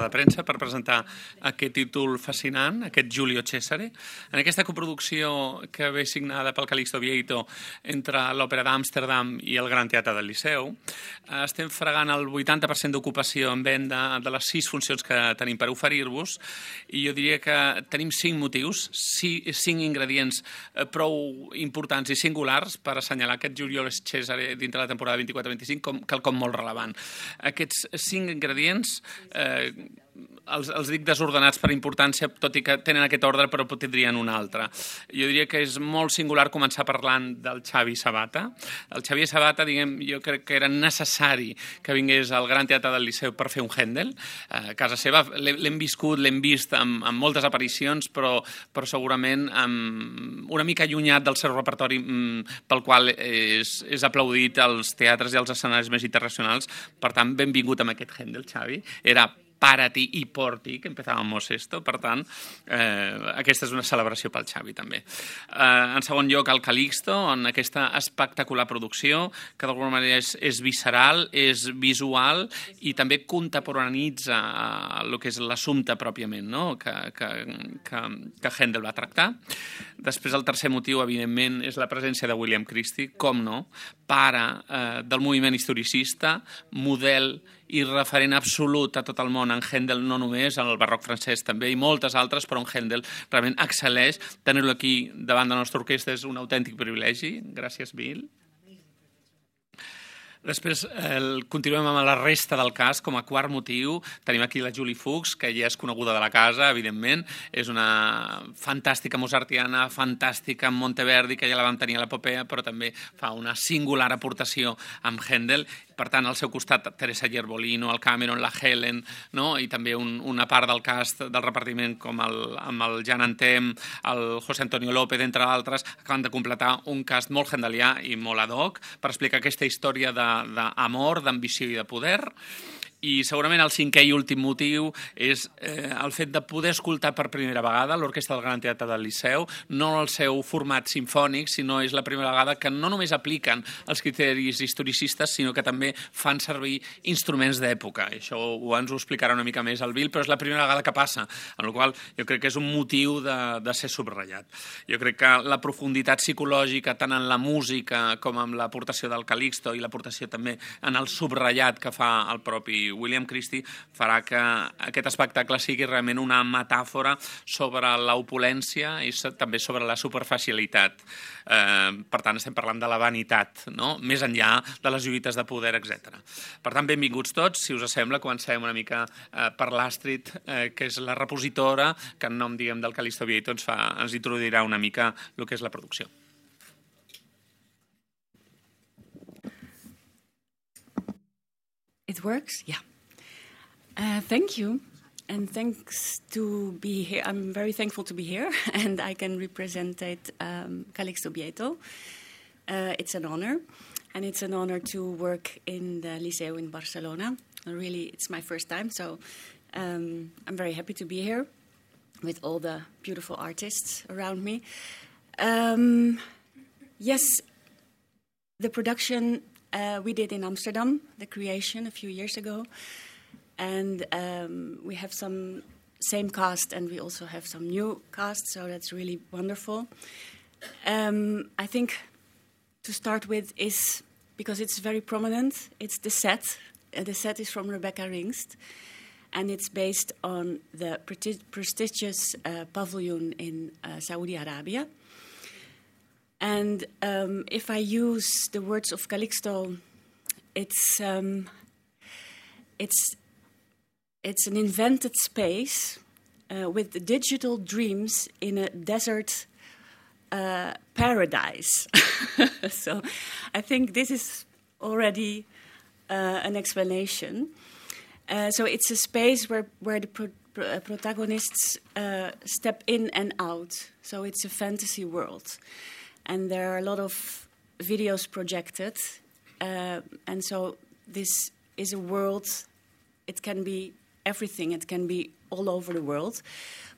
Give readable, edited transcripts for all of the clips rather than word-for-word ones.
de premsa per presentar aquest títol fascinant, aquest Giulio Cesare, en aquesta coproducció que ve signada pel Calixto Vieito entre l'Òpera d'Amsterdam i el Gran Teatre del Liceu. Estem fregant el 80% d'ocupació en venda de les 6 funcions que tenim per oferir-vos, i jo diria que tenim 5 motius, 5 ingredients prou importants i singulars per assenyalar aquest Giulio Cesare dintre la temporada 24-25 com quelcom molt relevant. Aquests 5 ingredients els dic desordenats per importància, tot i que tenen aquest ordre però tindrien un altre. Jo diria que és molt singular començar parlant del Xavi Sabata. El Xavier Sabata, jo crec que era necessari que vingués al Gran Teatre del Liceu per fer un Händel. A casa seva l'hem viscut, l'hem vist amb moltes aparicions, però segurament una mica allunyat del seu repertori pel qual és aplaudit als teatres i als escenaris més internacionals. Per tant, benvingut amb aquest Händel, Xavi. Era para ti i por ti, que empezábamos esto. Per tant, aquesta és una celebració pel Xavi, també. En segon lloc, el Calixto, en aquesta espectacular producció, que d'alguna manera és visceral, és visual i també contemporanitza el que és l'assumpte pròpiament, no? que Händel va tractar. Després, el tercer motiu, evidentment, és la presència de William Christie, com no, pare del moviment historicista, model i referent absolut a tot el món en Händel, no només, en el barroc francès també, i moltes altres, però en Händel realment excel·leix. Tenir-lo aquí davant de la nostra orquestra és un autèntic privilegi. Gràcies, Bill. Després continuem amb la resta del cast. Com a quart motiu tenim aquí la Julie Fuchs, que ja és coneguda de la casa, evidentment. És una fantàstica mozartiana, fantàstica en Monteverdi, que ja la vam tenir a l'Epopea, però també fa una singular aportació amb Händel. Per tant, al seu costat, Teresa Gerbolino, el Cameron, la Helen, no? I també una part del cast del repartiment, com amb el Jan Antem, el José Antonio López, entre altres, acaben de completar un cast molt hendelià i molt ad hoc per explicar aquesta història d'amor, d'ambició i de poder. I segurament el cinquè i últim motiu és el fet de poder escoltar per primera vegada l'Orquestra del Gran Teatre del Liceu, no el seu format simfònic, sinó és la primera vegada que no només apliquen els criteris historicistes, sinó que també fan servir instruments d'època. Això ens ho explicarà una mica més el Bill, però és la primera vegada que passa, amb la qual jo crec que és un motiu de ser subratllat. Jo crec que la profunditat psicològica, tant en la música com en l'aportació del Calixto i l'aportació també en el subratllat que fa el propi William Christie, farà que aquest espectacle sigui realment una metàfora sobre l'opulència i també sobre la superficialitat. Per tant, estem parlant de la vanitat, no? Més enllà de les lluites de poder, etc. Per tant, benvinguts tots. Si us sembla, comencem una mica per l'Astrid, que és la repositora, que en nom, del Calixto Vieito ens introduirà una mica el que és la producció. It works? Yeah. Thank you. And thanks to be here. I'm very thankful to be here and I can represent Calixto Vieito. It's an honor. And it's an honor to work in the Liceu in Barcelona. Really, it's my first time, so I'm very happy to be here with all the beautiful artists around me. Yes, the production we did in Amsterdam, the creation a few years ago, and we have some same cast and we also have some new cast, so that's really wonderful. I think to start with is, because it's very prominent, it's the set. The set is from Rebecca Ringst, and it's based on the prestigious pavilion in Saudi Arabia. And if I use the words of Calixto, it's an invented space with digital dreams in a desert paradise. So I think this is already an explanation. So it's a space where the protagonists step in and out. So it's a fantasy world. And there are a lot of videos projected. And so this is a world, it can be everything. It can be all over the world.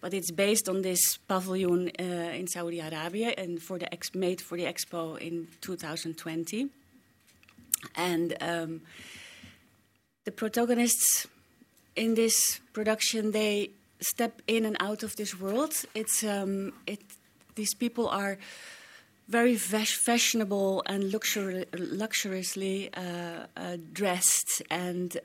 But it's based on this pavilion in Saudi Arabia and made for the Expo in 2020. And the protagonists in this production they step in and out of this world. These people are very fashionable and luxuriously dressed, and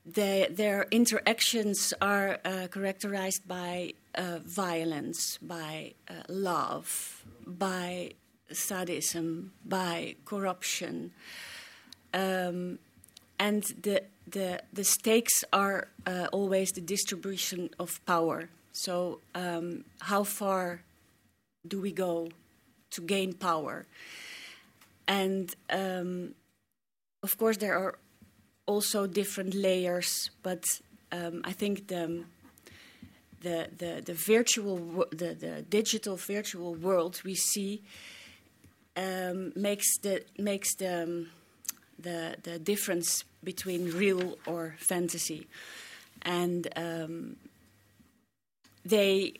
their interactions are characterized by violence, by love, by sadism, by corruption, and the stakes are always the distribution of power. So how far do we go to gain power? And of course there are also different layers, but I think the digital virtual world we see makes the difference between real or fantasy, and they.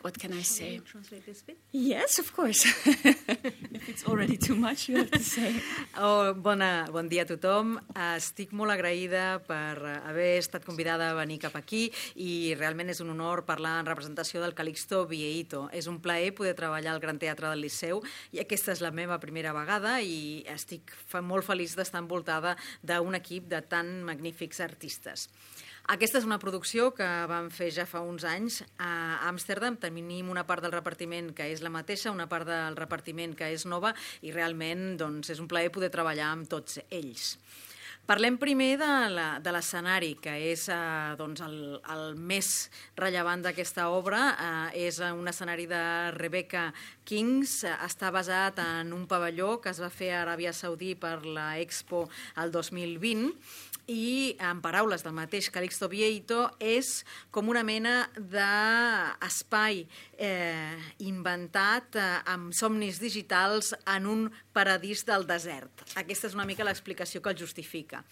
What can I say? Can you translate this bit? Yes, of course. If it's already too much, you have to say. Bon dia a tothom. Estic molt agraïda per haver estat convidada a venir cap aquí i realment és un honor parlar en representació del Calixto Vieito. És un plaer poder treballar al Gran Teatre del Liceu i aquesta és la meva primera vegada i estic molt feliç d'estar envoltada d'un equip de tan magnífics artistes. Aquesta és una producció que vam fer ja fa uns anys a Amsterdam. Tenim una part del repartiment que és la mateixa, una part del repartiment que és nova i realment doncs, és un plaer poder treballar amb tots ells. Parlem primer de l'escenari, que és doncs, el més rellevant d'aquesta obra. És un escenari de Rebecca Kings. Està basat en un pavelló que es va fer a Aràbia Saudí per la Expo el 2020 i, en paraules del mateix Calixto Vieito, és com una mena d'espai inventat amb somnis digitals en un paradís del desert. Aquesta és una mica l'explicació que el justifica.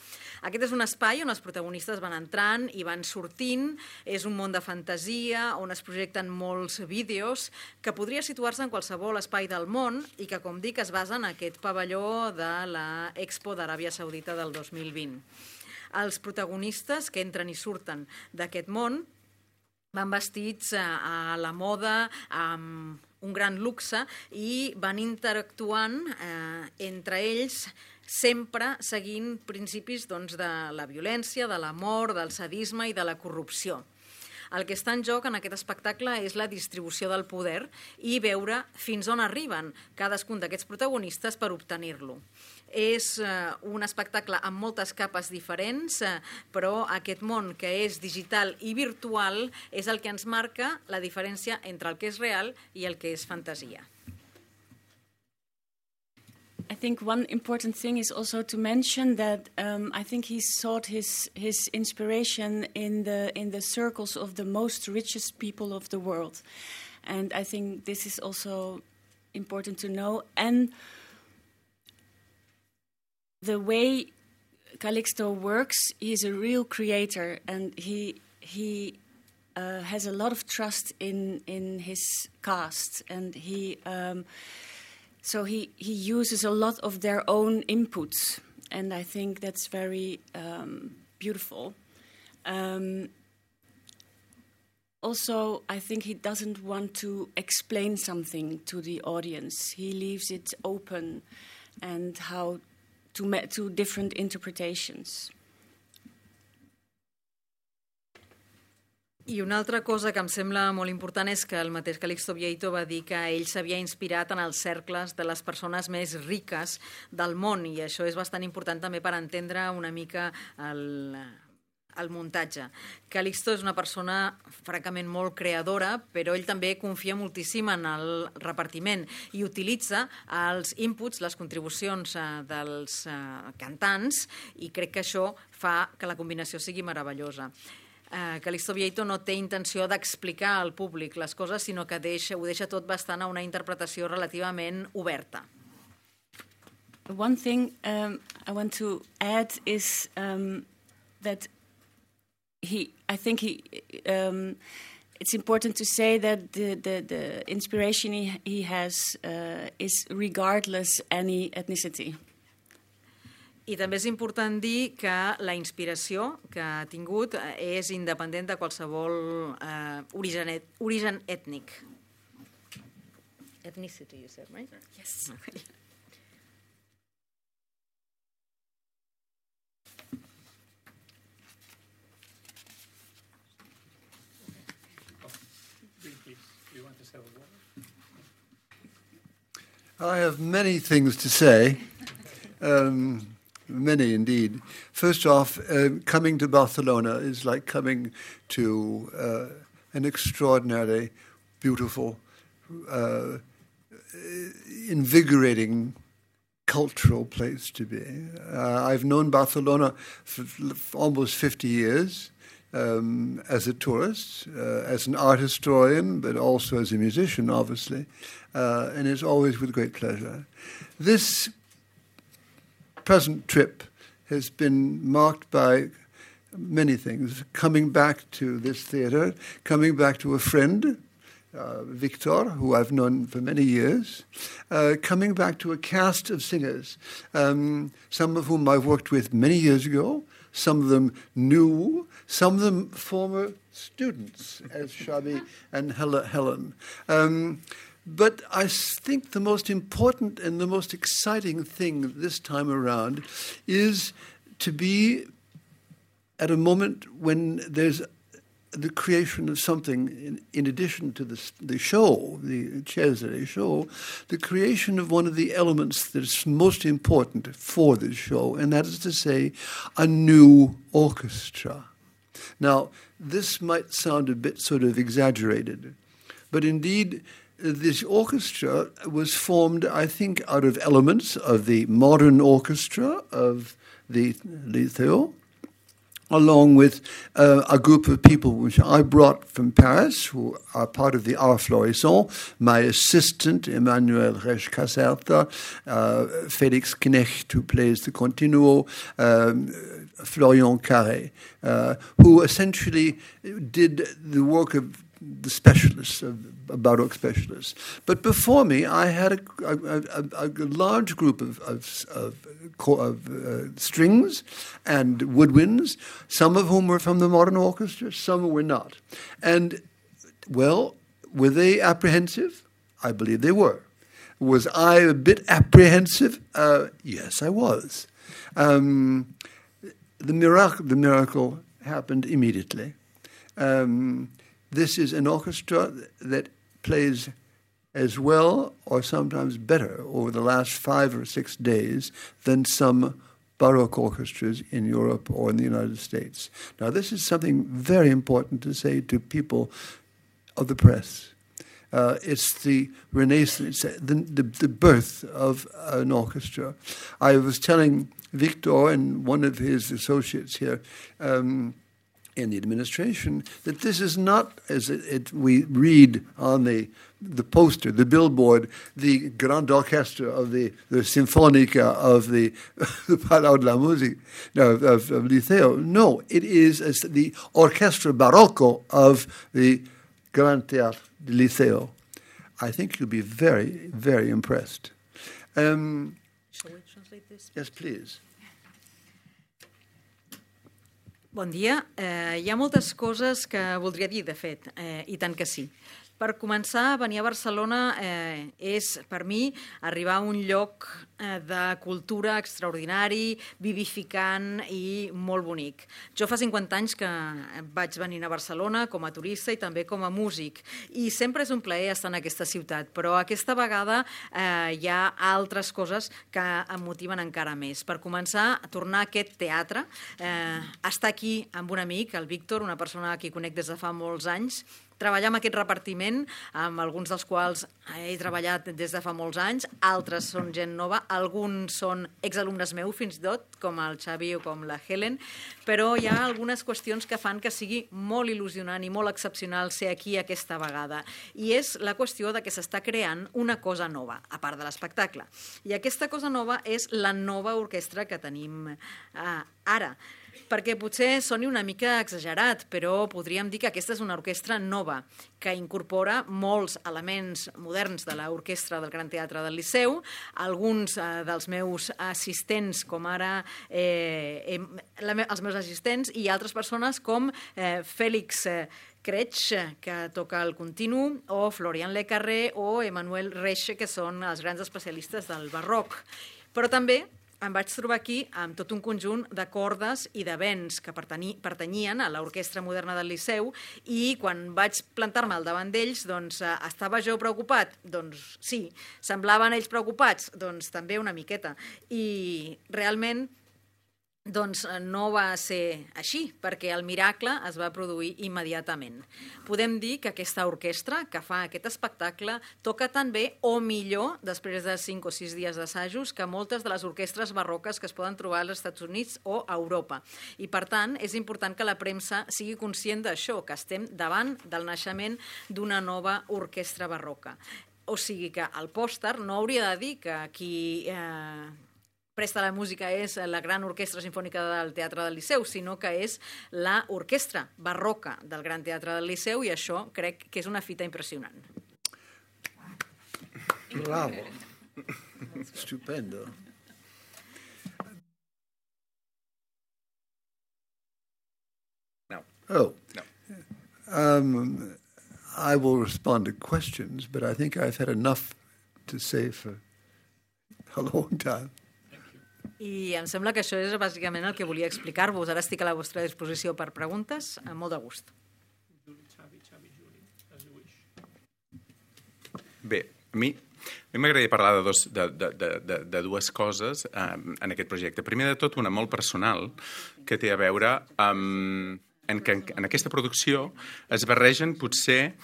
Aquest és un espai on els protagonistes van entrant i van sortint. És un món de fantasia on es projecten molts vídeos que podria situar-se en qualsevol espai del món i que, com dic, es basa en aquest pavelló de la Expo d'Aràbia Saudita del 2020. Els protagonistes que entren i surten d'aquest món van vestits a la moda, amb un gran luxe, i van interactuant entre ells sempre seguint principis doncs, de la violència, de l'amor, del sadisme i de la corrupció. El que està en joc en aquest espectacle és la distribució del poder i veure fins on arriben cadascun d'aquests protagonistes per obtenir-lo. És un espectacle amb moltes capes diferents, però aquest món que és digital i virtual és el que ens marca la diferència entre el que és real i el que és fantasia. I think one important thing is also to mention that I think he sought his inspiration in the circles of the most richest people of the world, and I think this is also important to know. And the way Calixto works, he's a real creator, and he has a lot of trust in his cast, and so he uses a lot of their own inputs, and I think that's very beautiful. Also, I think he doesn't want to explain something to the audience. He leaves it open and how to different interpretations. I una altra cosa que em sembla molt important és que el mateix Calixto Vieito va dir que ell s'havia inspirat en els cercles de les persones més riques del món, i això és bastant important també per entendre una mica el muntatge. Calixto és una persona francament molt creadora, però ell també confia moltíssim en el repartiment i utilitza els inputs, les contribucions dels cantants, i crec que això fa que la combinació sigui meravellosa. Calixto Vieito no té intenció d'explicar al públic les coses, sinó que ho deixa tot bastant a una interpretació relativament oberta. One thing I want to add is that I think it's important to say that the inspiration he has is regardless any ethnicity. I també és important dir que la inspiració que ha tingut és independent de qualsevol origen ètnic. Ethnicity, you said, right? Yes. Okay. I have many things to say, many indeed. First off, coming to Barcelona is like coming to an extraordinarily beautiful, invigorating cultural place to be. I've known Barcelona for almost 50 years. As a tourist, as an art historian, but also as a musician, obviously, and it's always with great pleasure. This present trip has been marked by many things. Coming back to this theatre, coming back to a friend, Victor, who I've known for many years, coming back to a cast of singers, some of whom I've worked with many years ago, some of them new, some of them former students, as Shabi and Helen. But I think the most important and the most exciting thing this time around is to be at a moment when there's the creation of something in addition to the show, the Cesare show, the creation of one of the elements that's most important for this show, and that is to say, a new orchestra. Now, this might sound a bit sort of exaggerated, but indeed, this orchestra was formed, I think, out of elements of the modern orchestra of the Liceo, along with a group of people which I brought from Paris, who are part of the Art Florissant, my assistant, Emmanuel Resch-Caserta, Felix Knecht, who plays the continuo, Florian Carré, who essentially did the work of the specialists, Baroque specialists. But before me, I had a large group of strings and woodwinds, some of whom were from the modern orchestra, some were not. And, well, were they apprehensive? I believe they were. Was I a bit apprehensive? Yes, I was. The miracle happened immediately. This is an orchestra that plays as well or sometimes better over the last 5 or 6 days than some Baroque orchestras in Europe or in the United States. Now, this is something very important to say to people of the press. It's the renaissance, the birth of an orchestra. I was telling Victor and one of his associates here in the administration that this is not, as we read on the poster, the billboard, the Grand Orchestra of the Sinfonica of the Palau de la Musique, of Liceo. No, it is the Orchestra Barocco of the Grand Théâtre de Liceo. I think you'll be very, very impressed. Shall we translate this? Yes, please. Bon dia. Hi ha moltes coses que voldria dir, de fet, i tant que sí. Per començar, venir a Barcelona és, per mi, arribar a un lloc de cultura extraordinari, vivificant i molt bonic. Jo fa 50 anys que vaig venir a Barcelona com a turista i també com a músic, i sempre és un plaer estar en aquesta ciutat, però aquesta vegada hi ha altres coses que em motiven encara més. Per començar, tornar a aquest teatre, estar aquí amb un amic, el Víctor, una persona a qui conec des de fa molts anys, treballar amb aquest repartiment, amb alguns dels quals he treballat des de fa molts anys, altres són gent nova, alguns són exalumnes meus fins i tot, com el Xavi o com la Helen, però hi ha algunes qüestions que fan que sigui molt il·lusionant i molt excepcional ser aquí aquesta vegada. I és la qüestió de que s'està creant una cosa nova, a part de l'espectacle. I aquesta cosa nova és la nova orquestra que tenim Ara, perquè potser soni una mica exagerat, però podríem dir que aquesta és una orquestra nova, que incorpora molts elements moderns de l'orquestra del Gran Teatre del Liceu. Alguns dels meus assistents, com ara els meus assistents, i altres persones com Félix Kretsch, que toca el continu, o Florian Lecarré o Emmanuel Reche, que són els grans especialistes del barroc. Però també em vaig trobar aquí amb tot un conjunt de cordes i de vents que pertanyien a l'Orquestra Moderna del Liceu, i quan vaig plantar-me al davant d'ells, doncs, estava jo preocupat? Doncs sí. Semblaven ells preocupats? Doncs també una miqueta. I realment doncs no va ser així, perquè el miracle es va produir immediatament. Podem dir que aquesta orquestra que fa aquest espectacle toca tan bé o millor, després de 5 o 6 dies d'assajos, que moltes de les orquestres barroques que es poden trobar als Estats Units o a Europa. I, per tant, és important que la premsa sigui conscient d'això, que estem davant del naixement d'una nova orquestra barroca. O sigui que el pòster no hauria de dir que qui presta la música és la Gran Orquestra Simfònica del Teatre del Liceu, sinó que és l'orquestra barroca del Gran Teatre del Liceu, i això crec que és una fita impressionant. Bravo. Stupendo. No. Oh. No. I will respond to questions, but I think I've had enough to say for a long time. I em sembla que això és bàsicament el que volia explicar-vos. Ara estic a la vostra disposició per preguntes, amb molt de gust. Bé, a mi m'agradaria parlar de dues coses en aquest projecte. Primer de tot, una molt personal, que té a veure amb que en aquesta producció es barregen potser...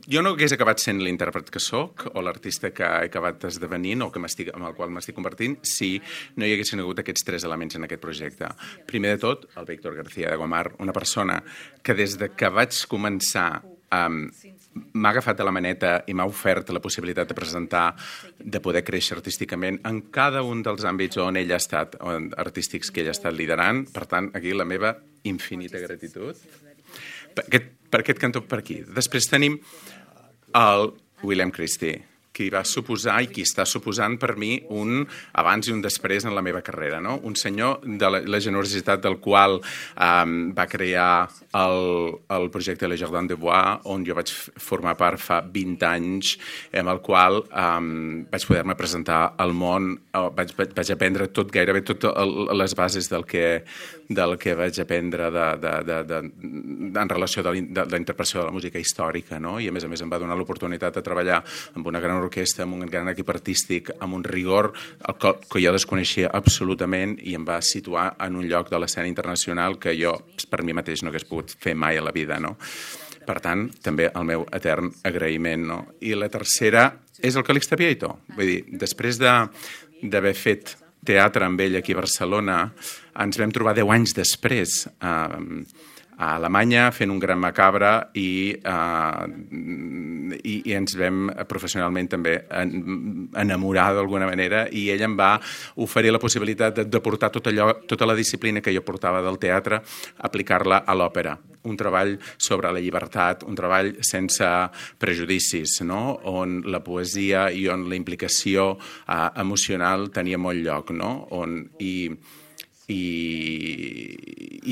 Jo no hagués acabat sent l'intèrpret que soc o l'artista que he acabat esdevenint o amb el qual m'estic convertint si no hi haguessin hagut aquests 3 elements en aquest projecte. Primer de tot, el Víctor García de Gomar, una persona que des de que vaig començar m'ha agafat de la maneta i m'ha ofert la possibilitat de presentar, de poder créixer artísticament en cada un dels àmbits on ell ha estat, artístics que ell ha estat liderant. Per tant, aquí la meva infinita gratitud. Per aquest cantó per aquí. Després tenim el William Christie, qui va suposar i qui està suposant per mi un abans i un després en la meva carrera, no? Un senyor de la generositat del qual va crear el projecte Le Jardin de Bois, on jo vaig formar part fa 20 anys, amb el qual vaig poder-me presentar al món, vaig aprendre gairebé totes les bases del que vaig aprendre en relació de la interpretació de la música històrica, no? I a més em va donar l'oportunitat de treballar amb una gran orquestra, amb un gran equip artístic, amb un rigor que jo desconeixia absolutament, i em va situar en un lloc de l'escena internacional que jo per mi mateix no hagués pogut fer mai a la vida, no? Per tant, també el meu etern agraïment, no? I la tercera és el Calixte Vieito. Vull dir, després d'haver fet teatre amb ell aquí a Barcelona, ens vam trobar 10 anys després a Alemanya fent un Gran Macabre i ens vam professionalment també enamorar d'alguna manera, i ell em va oferir la possibilitat de portar tota la disciplina que jo portava del teatre, aplicar-la a l'òpera. Un treball sobre la llibertat, un treball sense prejudicis, no? On la poesia i on la implicació emocional tenia molt lloc, no? I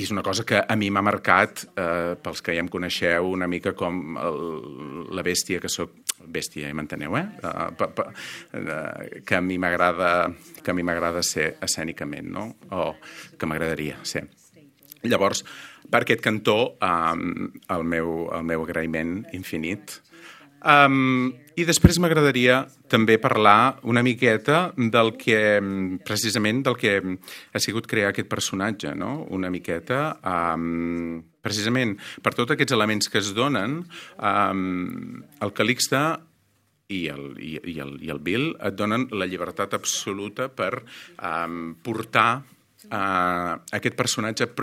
és una cosa que a mi m'ha marcat, pels que ja em coneixeu, una mica com la bèstia que soc, bèstia, ja m'enteneu, que a mi m'agrada ser escènicament, no? O que m'agradaria ser. Llavors, per aquest cantó, el meu agraïment infinit. I després m'agradaria també parlar una miqueta precisament del que ha sigut crear aquest personatge, no? Una miqueta, precisament per tots aquests elements que es donen, el Calixte i el Bill et donen la llibertat absoluta per portar aquest personatge a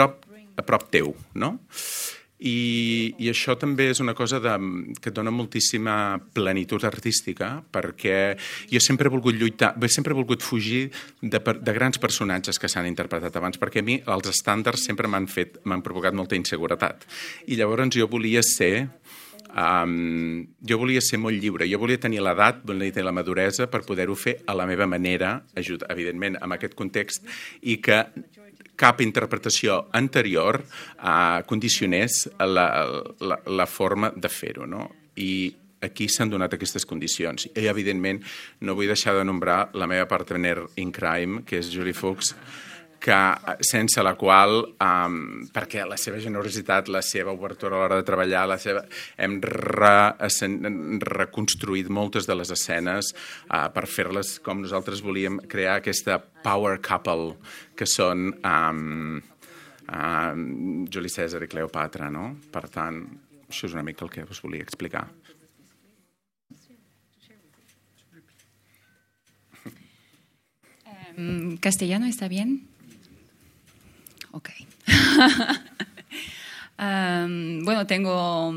prop teu, no? I això també és una cosa que dona moltíssima plenitud artística, perquè jo sempre he volgut lluitar, sempre he volgut fugir de grans personatges que s'han interpretat abans, perquè a mi els estàndards sempre m'han provocat molta inseguretat. I llavors jo volia ser molt lliure, jo volia tenir l'edat, volia tenir la maduresa per poder-ho fer a la meva manera, evidentment, en aquest context, i que cap interpretació anterior condicionés la forma de fer-ho, no? I aquí s'han donat aquestes condicions. I, evidentment, no vull deixar de nombrar la meva partner in crime, que és Julie Fuchs, sense la qual, perquè la seva generositat, la seva obertura a l'hora de treballar, hem reconstruït moltes de les escenes per fer-les com nosaltres volíem, crear aquesta power couple que són Juli Cèsar i Cleopatra, no? Per tant, això és una mica el que us volia explicar. ¿Castellano está bien? Ok. Bueno, tengo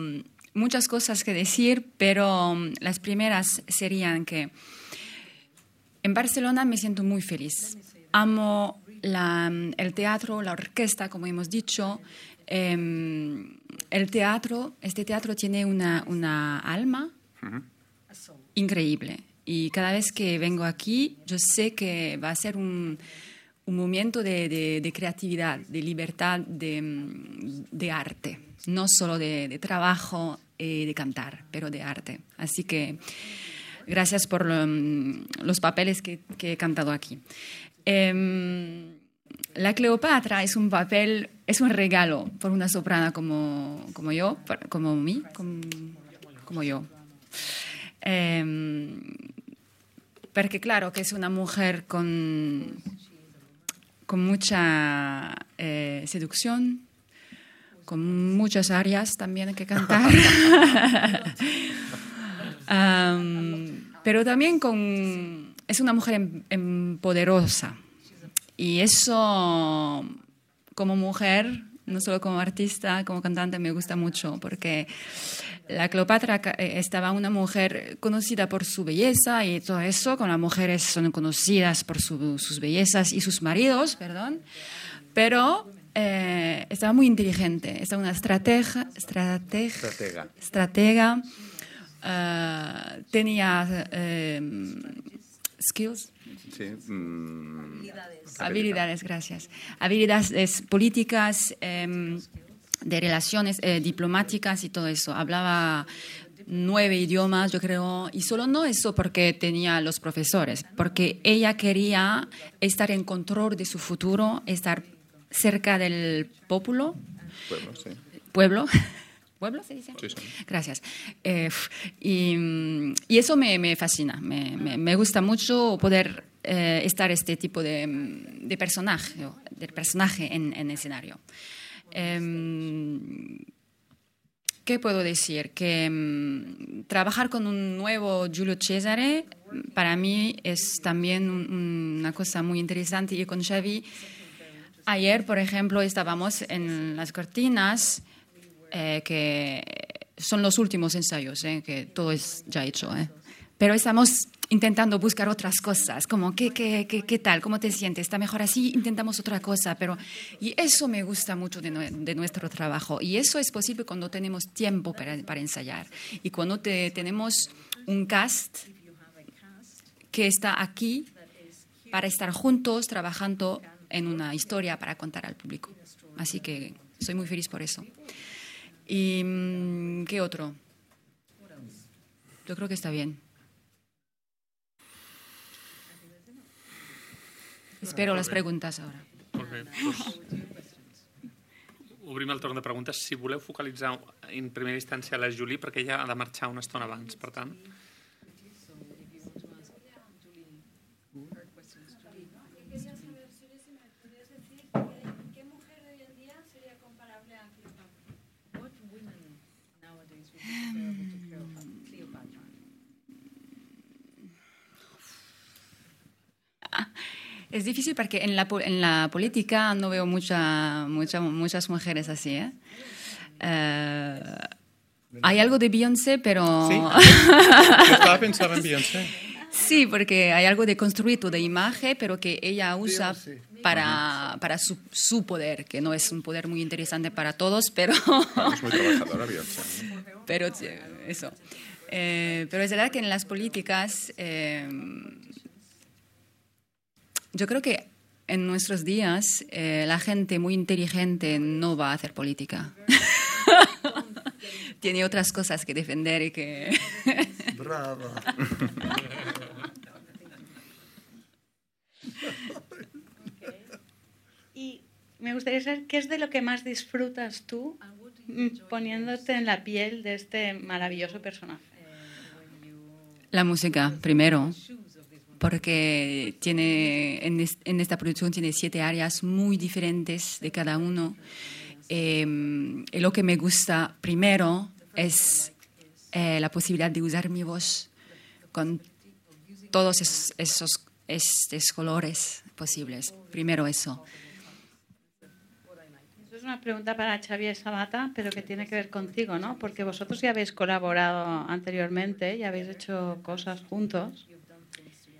muchas cosas que decir, pero las primeras serían que en Barcelona me siento muy feliz. Amo el teatro, la orquesta, como hemos dicho. El teatro, este teatro tiene una alma increíble. Y cada vez que vengo aquí, yo sé que va a ser un momento de creatividad, de libertad, de arte. No solo de trabajo y de cantar, pero de arte. Así que gracias por los papeles que he cantado aquí. La Cleopatra es un papel, es un regalo por una soprana como yo, como yo. Porque claro que es una mujer con mucha seducción, con muchas arias también que cantar, pero también es una mujer poderosa. Y eso, como mujer, no solo como artista, como cantante, me gusta mucho, porque la Cleopatra estaba una mujer conocida por su belleza y todo eso, como las mujeres son conocidas por sus bellezas y sus maridos, perdón, pero estaba muy inteligente, estaba una estratega, tenía skills. Sí. Habilidades, gracias. Habilidades políticas, de relaciones diplomáticas y todo eso. Hablaba 9 idiomas, yo creo, y solo no eso porque tenía los profesores, porque ella quería estar en control de su futuro, estar cerca del pueblo. Pueblo, sí. Pueblo. ¿Pueblo se dice? Sí, sí. Gracias. Y eso me fascina. Me gusta mucho poder estar este tipo de personaje en escenario. ¿Qué puedo decir? Que trabajar con un nuevo Giulio Cesare para mí es también una cosa muy interesante. Y con Xavi, ayer, por ejemplo, estábamos en las cortinas, que son los últimos ensayos, que todo es ya hecho. Pero estamos intentando buscar otras cosas, como ¿qué tal? ¿Cómo te sientes? ¿Está mejor así? Intentamos otra cosa. Y eso me gusta mucho de nuestro trabajo. Y eso es posible cuando tenemos tiempo para ensayar. Y cuando tenemos un cast que está aquí para estar juntos, trabajando en una historia para contar al público. Así que soy muy feliz por eso. ¿Y qué otro? Yo creo que está bien. Espero les preguntes ara. Molt bé. Obrim el torn de preguntes. Si voleu focalitzar en primera instància la Julie, perquè ella ha de marxar una estona abans, per tant. Es difícil porque en la política no veo muchas mujeres así. Hay algo de Beyoncé, pero... Sí? Jo estava pensant en Beyoncé. Sí, porque hay algo de construir toda imagen, pero que ella usa para su poder, que no es un poder muy interesante para todos, pero... És muy trabajadora, Beyoncé. Pero eso. Pero es verdad que en las políticas, yo creo que en nuestros días la gente muy inteligente no va a hacer política. Tiene otras cosas que defender y que... Bravo. Y me gustaría saber qué es de lo que más disfrutas tú poniéndote en la piel de este maravilloso personaje. La música, primero, porque tiene en esta producción tiene 7 áreas muy diferentes de cada uno. Y lo que me gusta primero es la posibilidad de usar mi voz con todos estos colores posibles. Primero eso. Eso es una pregunta para Xavier Sabata, pero que tiene que ver contigo, ¿no? Porque vosotros ya habéis colaborado anteriormente, ya habéis hecho cosas juntos.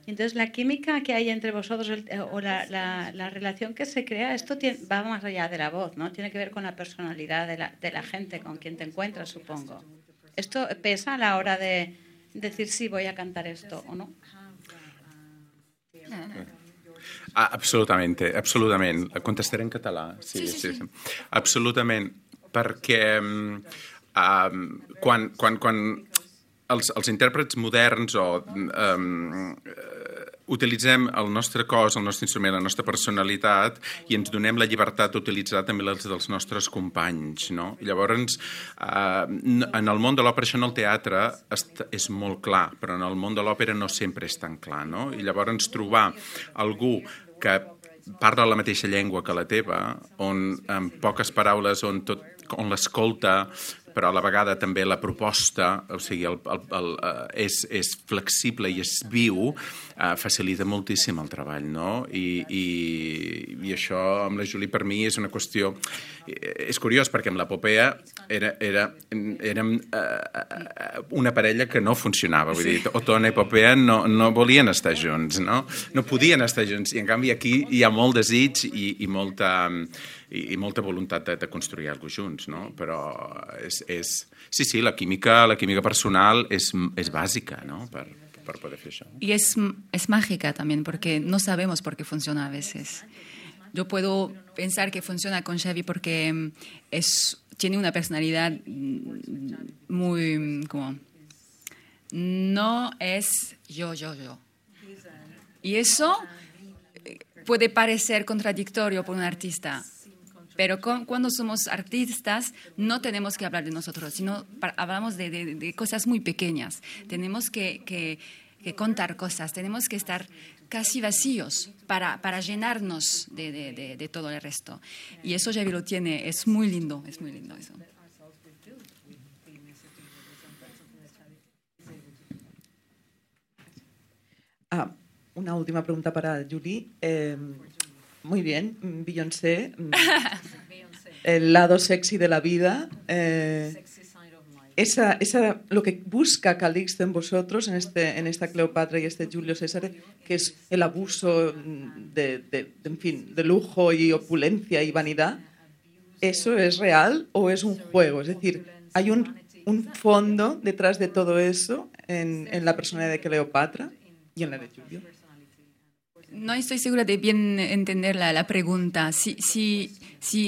Entonces, la química que hay entre vosotros o la relación que se crea, esto va más allá de la voz, ¿no? Tiene que ver con la personalidad de la gente con quien te encuentras, supongo. ¿Esto pesa a la hora de decir sí, voy a cantar esto o no? Absolutament. Contestaré en català. Sí. Absolutament, perquè quan els intèrprets moderns utilitzem el nostre cos, el nostre instrument, la nostra personalitat i ens donem la llibertat d'utilitzar també les dels nostres companys, no? I llavors, en el món de l'òpera, això en el teatre és molt clar, però en el món de l'òpera no sempre és tan clar, no? I llavors trobar algú que parla la mateixa llengua que la teva, on amb poques paraules, on l'escolta, però a la vegada també la proposta, o sigui, és flexible i és viu, facilita moltíssim el treball, no? I això amb la Julie per mi és una qüestió... És curiós perquè amb l'epopea érem una parella que no funcionava, vull dir, Otona i Epopea no volien estar junts, no? No podien estar junts, i en canvi aquí hi ha molt desig i molta voluntat de construir alguna cosa junts, no? Però sí, la química personal és bàsica, no? Per poder fer això. Y es mágica también, porque no sabemos por qué funciona a veces. Yo puedo pensar que funciona con Xavi porque tiene una personalidad muy como... No es yo. Y eso puede parecer contradictorio por un artista. Pero cuando somos artistas no tenemos que hablar de nosotros, sino hablamos de cosas muy pequeñas. Tenemos que contar cosas, tenemos que estar casi vacíos para llenarnos de todo el resto. Y eso Xavi lo tiene, es muy lindo eso. Una última pregunta para Julie. Muy bien, Beyoncé, el lado sexy de la vida. Lo que busca Calixto en vosotros, en esta Cleopatra y este Julio César, que es el abuso en fin, de lujo y opulencia y vanidad, ¿eso es real o es un juego? Es decir, ¿hay un fondo detrás de todo eso en la personalidad de Cleopatra y en la de Julio? No estoy segura de bien entender la pregunta. Si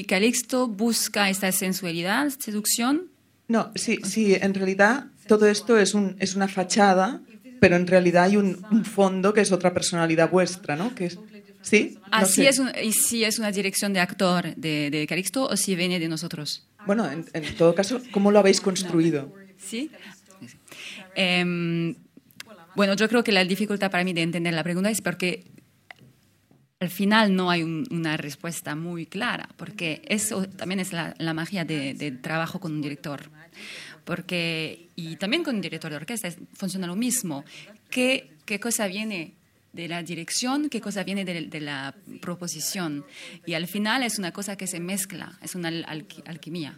Calixto busca esta sensualidad, seducción... No, sí, en realidad todo esto es una fachada, pero en realidad hay un fondo que es otra personalidad vuestra, ¿no? Que es, ¿sí? No sé. Si es una dirección de actor de Calixto o si viene de nosotros. Bueno, en todo caso, ¿cómo lo habéis construido? ¿Sí? Bueno, yo creo que la dificultad para mí de entender la pregunta es porque al final no hay una respuesta muy clara, porque eso también es la magia de trabajo con un director. Y también con un director de orquesta funciona lo mismo. ¿Qué cosa viene de la dirección? ¿Qué cosa viene de la proposición? Y al final es una cosa que se mezcla, es una alquimia.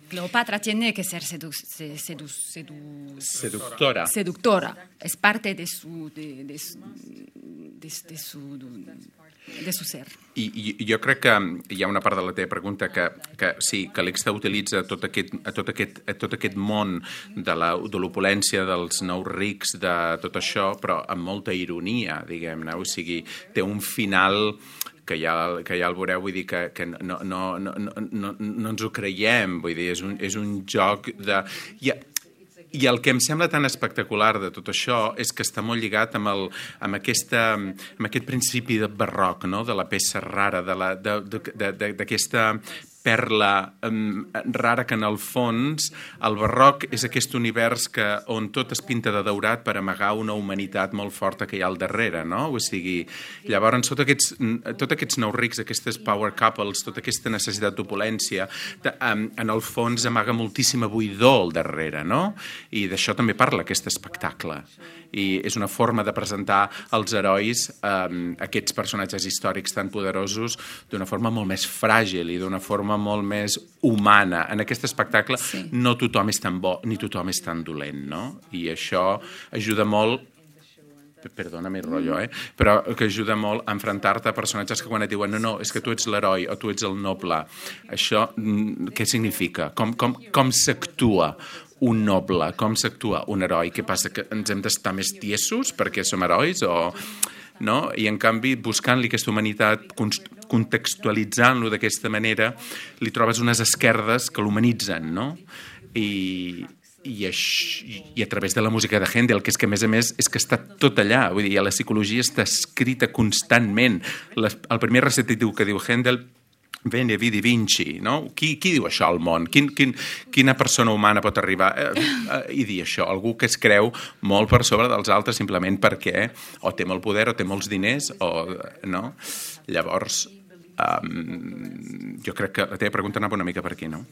Cleopatra tiene que ser seductora. Es parte de su ser. I jo crec que hi ha una part de la teva pregunta que sí, que l'Exta utilitza tot aquest món de l'opulència, dels nous rics, de tot això, però amb molta ironia, diguem-ne. O sigui, té un final que ja el veureu, vull dir que no ens ho creiem, vull dir, és un joc de... I el que em sembla tan espectacular de tot això és que està molt lligat amb aquest principi de barroc, no? De la peça rara, d'aquesta perla rara que en el fons el barroc és aquest univers on tot es pinta de daurat per amagar una humanitat molt forta que hi ha al darrere, no? O sigui, llavors tots aquests nous rics, aquestes power couples, tota aquesta necessitat d'opulència, en el fons amaga moltíssima buidor al darrere, no? I d'això també parla aquest espectacle. I és una forma de presentar els herois, aquests personatges històrics tan poderosos, d'una forma molt més fràgil i d'una forma molt més humana. En aquest espectacle no tothom és tan bo ni tothom és tan dolent, no? I això ajuda molt, perdona mi rotllo, però que ajuda molt a enfrontar-te a personatges que quan et diuen no, és que tu ets l'heroi o tu ets el noble. Això què significa? Com s'actua un noble? Com s'actua un heroi? Què passa? Que ens hem d'estar més tiesos perquè som herois? No? I en canvi, buscant-li aquesta humanitat, contextualitzant-lo d'aquesta manera, li trobes unes esquerdes que l'humanitzen, no? I a través de la música de Händel, que és que a més és que està tot allà, vull dir, la psicologia està escrita constantment. El primer recitatiu que diu Händel, Veni, Vidi, Vinci, no? Qui diu això al món? Quina persona humana pot arribar i dir això? Algú que es creu molt per sobre dels altres simplement perquè o té molt poder o té molts diners no? Llavors, jo crec que la teva pregunta anava una mica per aquí, no?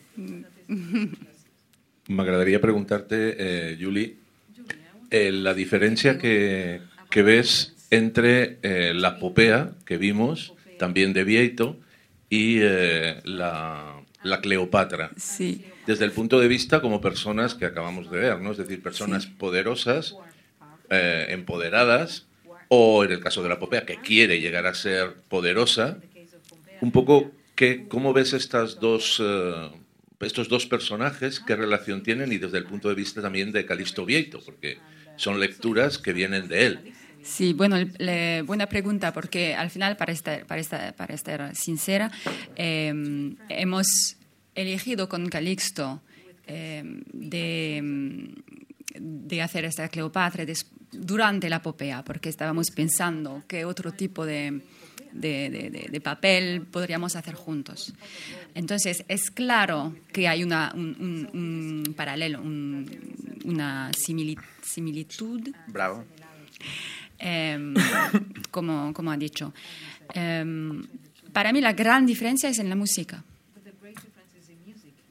M'agradaria preguntar-te, Juli, la diferencia que ves entre la popea que vimos, también de Vieito, y la Cleopatra. Sí. Desde el punto de vista como personas que acabamos de ver, ¿no? Es decir, personas poderosas, empoderadas, o en el caso de la popea, que quiere llegar a ser poderosa. Un poco, ¿cómo ves estos dos personajes? ¿Qué relación tienen? Y desde el punto de vista también de Calixto Vieito, porque son lecturas que vienen de él. Sí, bueno, buena pregunta, porque al final, para estar sincera, hemos elegido con Calixto de hacer esta Cleopatra durante la popea, porque estábamos pensando qué otro tipo de papel podríamos hacer juntos. Entonces, es claro que hay un paralelo, una similitud. Bravo. Como ha dicho. Para mí la gran diferencia es en la música.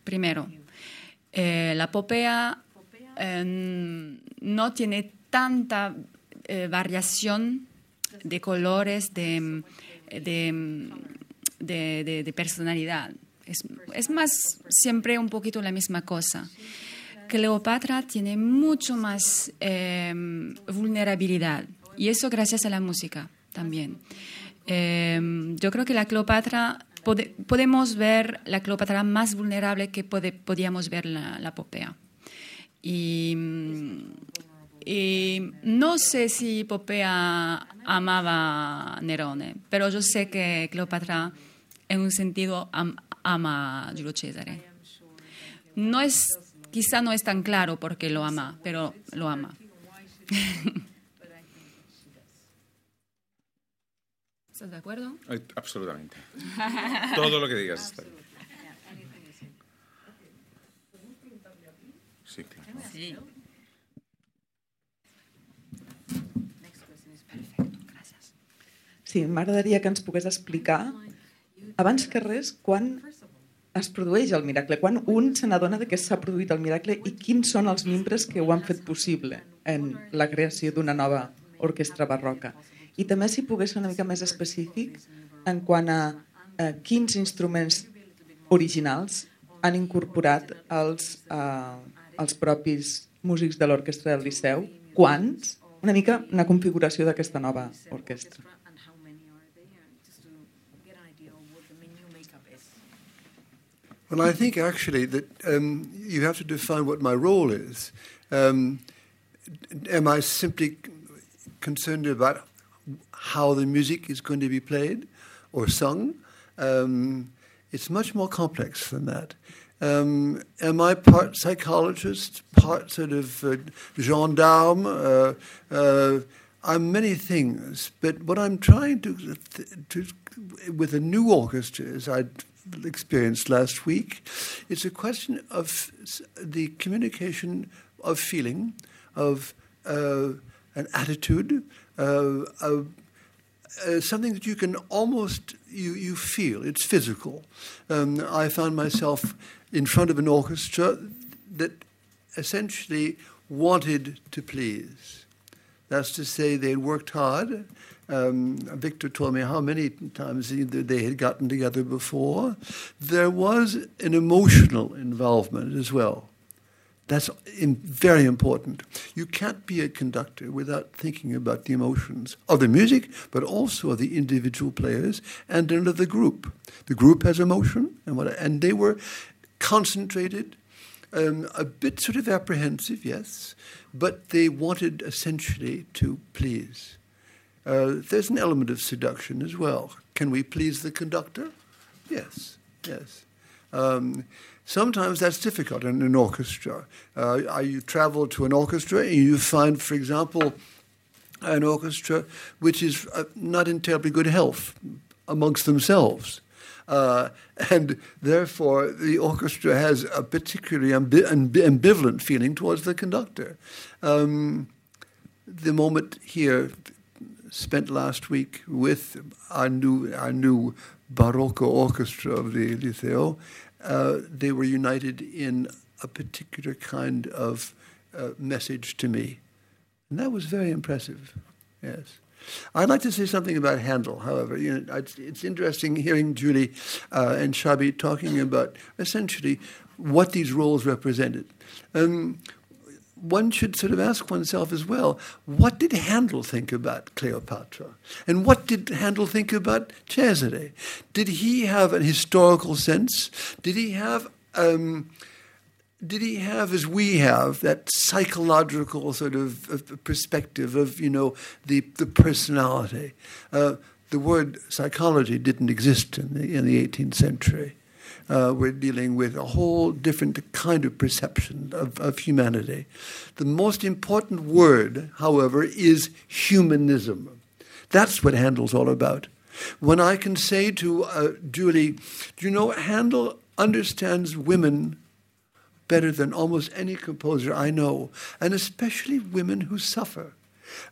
Primero, la popea no tiene tanta variación de colores, de personalidad. Es más siempre un poquito la misma cosa. Cleopatra tiene mucho más vulnerabilidad. Y eso gracias a la música también. Yo creo que la Cleopatra, podemos ver la Cleopatra más vulnerable que podíamos ver la popea. Y no sé si Popea amaba a Nerone, pero yo sé que Cleopatra en un sentido ama a Giulio Cesare. Quizá no es tan claro por qué lo ama, pero lo ama. ¿Estás de acuerdo? Absolutamente. Todo lo que digas está bien. Sí, claro. Sí. Sí, m'agradaria que ens pogués explicar, abans que res, quan es produeix el miracle, quan un se n'adona que s'ha produït el miracle i quins són els membres que ho han fet possible en la creació d'una nova orquestra barroca. I també si pogués ser una mica més específic en quant a quins instruments originals han incorporat els propis músics de l'Orquestra del Liceu? Quants? Una mica una configuració d'aquesta nova orquestra. Well, I think actually that you have to define what my role is. Am I simply concerned about how the music is going to be played or sung? It's much more complex than that. Am I part psychologist, part sort of gendarme? I'm many things, but what I'm trying to with a new orchestra, as I experienced last week, it's a question of the communication of feeling, of an attitude, something that you can almost, you feel, it's physical. I found myself in front of an orchestra that essentially wanted to please. That's to say, they worked hard. Victor told me how many times they had gotten together before. There was an emotional involvement as well. That's very important. You can't be a conductor without thinking about the emotions of the music, but also of the individual players and of the group. The group has emotion, and they were concentrated, a bit sort of apprehensive, yes, but they wanted essentially to please. There's an element of seduction as well. Can we please the conductor? Yes, yes. Sometimes that's difficult in an orchestra. You travel to an orchestra and you find, for example, an orchestra which is not in terribly good health amongst themselves. And therefore, the orchestra has a particularly ambivalent feeling towards the conductor. The moment here spent last week with our new Barocco orchestra of the Liceo, they were united in a particular kind of message to me. And that was very impressive, yes. I'd like to say something about Handel, however. It's interesting hearing Julie and Shabi talking about essentially what these roles represented. One should sort of ask oneself as well, what did Handel think about Cleopatra? And what did Handel think about Cesare? Did he have a historical sense? Did he have, as we have, that psychological sort of perspective of, the personality? The word psychology didn't exist in the 18th century. We're dealing with a whole different kind of perception of humanity. The most important word, however, is humanism. That's what Handel's all about. When I can say to Julie, Handel understands women better than almost any composer I know, and especially women who suffer,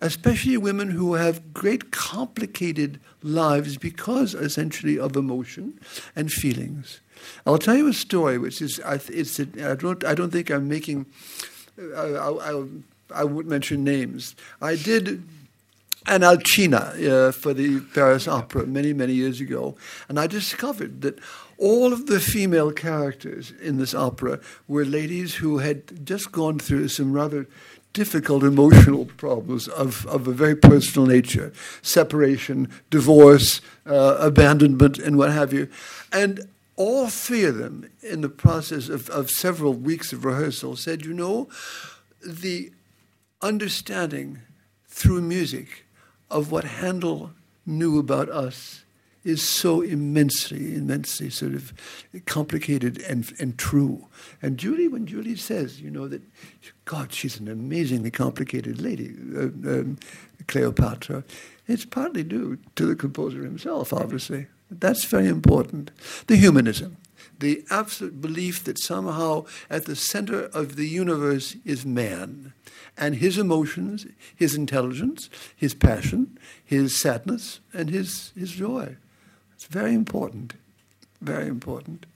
especially women who have great complicated lives because essentially of emotion and feelings. I'll tell you a story, which is I don't think I'm making. I won't mention names. I did an Alcina for the Paris Opera many years ago, and I discovered that all of the female characters in this opera were ladies who had just gone through some rather difficult emotional problems of a very personal nature: separation, divorce, abandonment, and what have you, and all three of them, in the process of several weeks of rehearsal, said, the understanding through music of what Handel knew about us is so immensely sort of complicated and true. And Julie, when Julie says, that, God, she's an amazingly complicated lady, Cleopatra, it's partly due to the composer himself, obviously. That's very important. The humanism, the absolute belief that somehow at the center of the universe is man, and his emotions, his intelligence, his passion, his sadness, and his joy. It's very important, very important.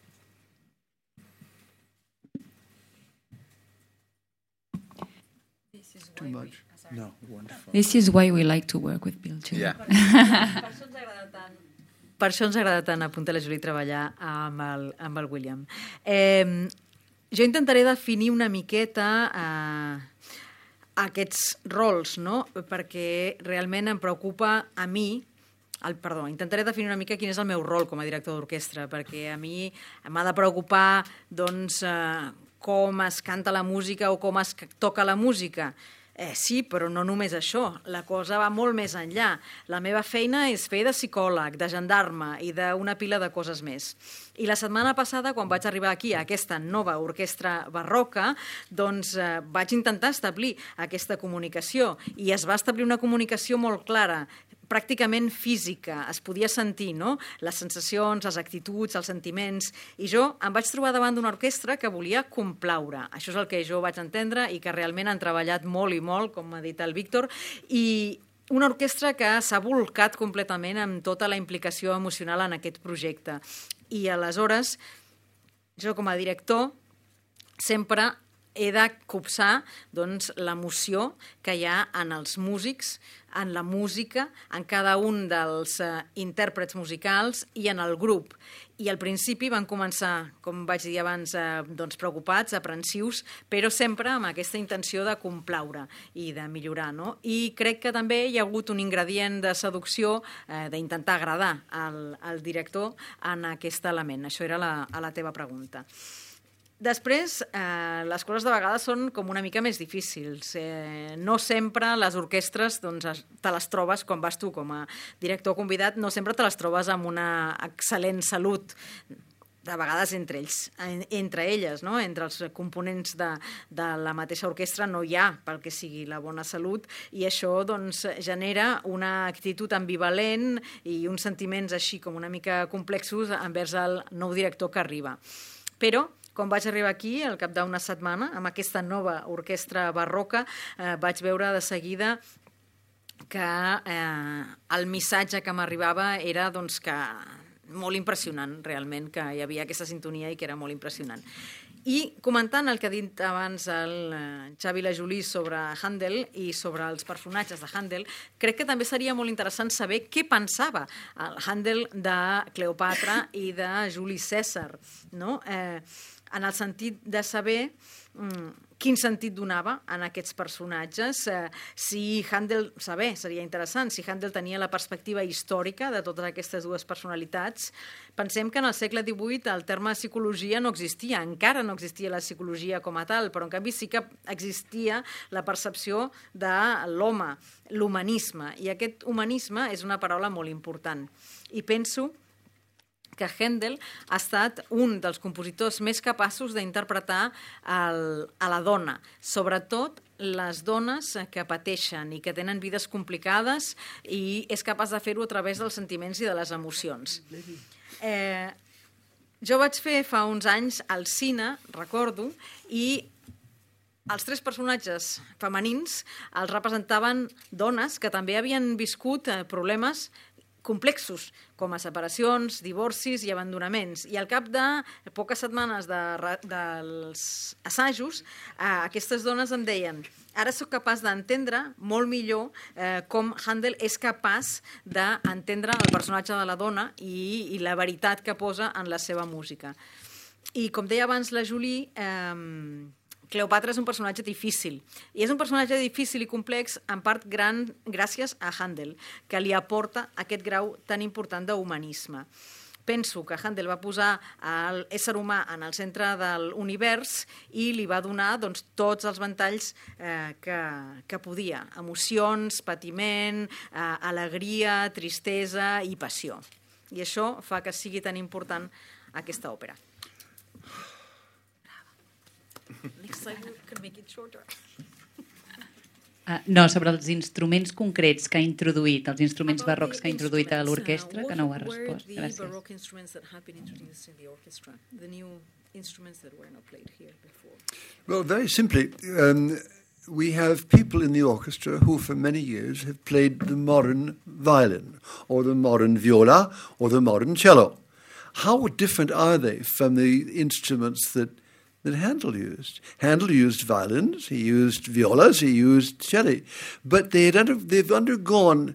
Too much? No, wonderful. This is why we like to work with Bill too. Yeah. Per això ens agrada tant apuntar la Julie i treballar amb el William. Jo intentaré definir una miqueta aquests rols, no? Perquè realment em preocupa a mi, intentaré definir una mica quin és el meu rol com a director d'orquestra, perquè a mi m'ha de preocupar doncs, com es canta la música o com es toca la música. Sí, però no només això. La cosa va molt més enllà. La meva feina és fer de psicòleg, de gendarme i d'una pila de coses més. I la setmana passada, quan vaig arribar aquí a aquesta nova orquestra barroca, doncs vaig intentar establir aquesta comunicació i es va establir una comunicació molt clara, pràcticament física, es podia sentir, no? Les sensacions, les actituds, els sentiments, i jo em vaig trobar davant d'una orquestra que volia complaure. Això és el que jo vaig entendre i que realment han treballat molt i molt, com m'ha dit el Víctor, i una orquestra que s'ha volcat completament amb tota la implicació emocional en aquest projecte. I aleshores, jo com a director, sempre he de copsar doncs, l'emoció que hi ha en els músics, en la música, en cada un dels intèrprets musicals i en el grup. I al principi van començar, com vaig dir abans, doncs, preocupats, aprensius, però sempre amb aquesta intenció de complaure i de millorar. No? I crec que també hi ha hagut un ingredient de seducció, d'intentar agradar al director en aquest element. Això era a la teva pregunta. Després, les coses de vegades són com una mica més difícils. No sempre les orquestres te les trobes, com vas tu com a director convidat, no sempre te les trobes amb una excel·lent salut, de vegades entre elles, no? Entre els components de la mateixa orquestra no hi ha pel que sigui la bona salut, i això doncs, genera una actitud ambivalent i uns sentiments així com una mica complexos envers el nou director que arriba. Però quan vaig arribar aquí, al cap d'una setmana, amb aquesta nova orquestra barroca, vaig veure de seguida que el missatge que m'arribava era doncs, que molt impressionant, realment, que hi havia aquesta sintonia i que era molt impressionant. I comentant el que ha dit abans el Xavi i la Julie sobre Handel i sobre els personatges de Handel, crec que també seria molt interessant saber què pensava el Handel de Cleopatra i de Juli Cèsar, no? En el sentit de saber quin sentit donava en aquests personatges, si Handel, seria interessant, si Handel tenia la perspectiva històrica de totes aquestes dues personalitats. Pensem que en el segle XVIII el terme psicologia no existia, encara no existia la psicologia com a tal, però en canvi sí que existia la percepció de l'home, l'humanisme, i aquest humanisme és una paraula molt important. I penso que Handel ha estat un dels compositors més capaços d'interpretar a la dona, sobretot les dones que pateixen i que tenen vides complicades, i és capaç de fer-ho a través dels sentiments i de les emocions. Jo vaig fer fa uns anys al cine, recordo, i els tres personatges femenins els representaven dones que també havien viscut problemes complexos, com a separacions, divorcis i abandonaments. I al cap de poques setmanes dels assajos, aquestes dones em deien: ara sóc capaç d'entendre molt millor com Handel és capaç d'entendre el personatge de la dona i la veritat que posa en la seva música. I com deia abans la Julie, Cleopatra és un personatge difícil, i és un personatge difícil i complex en part gràcies a Handel, que li aporta aquest grau tan important d'humanisme. Penso que Handel va posar l'ésser humà en el centre de l'univers i li va donar doncs, tots els ventalls que podia, emocions, patiment, alegria, tristesa i passió. I això fa que sigui tan important aquesta òpera. Next time we can make it shorter. No, sobre els instruments concrets que ha introduït, els instruments barrocs que ha introduït a l'orquestra, que no ho ha respost. Gràcies. Well, very simply, we have people in the orchestra who for many years have played the modern violin, or the modern viola, or the modern cello. How different are they from the instruments that Handel used? Handel used violins, he used violas, he used cello, but they've undergone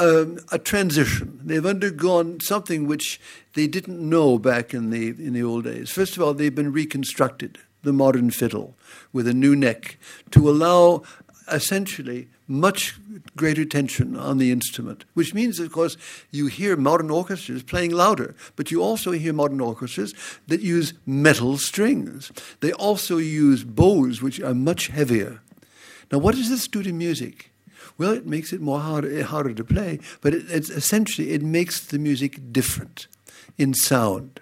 a transition. They've undergone something which they didn't know back in the old days. First of all, they've been reconstructed, the modern fiddle, with a new neck, to allow essentially much greater tension on the instrument, which means, of course, you hear modern orchestras playing louder, but you also hear modern orchestras that use metal strings. They also use bows, which are much heavier. Now, what does this do to music? Well, it makes it harder to play, but it makes the music different in sound.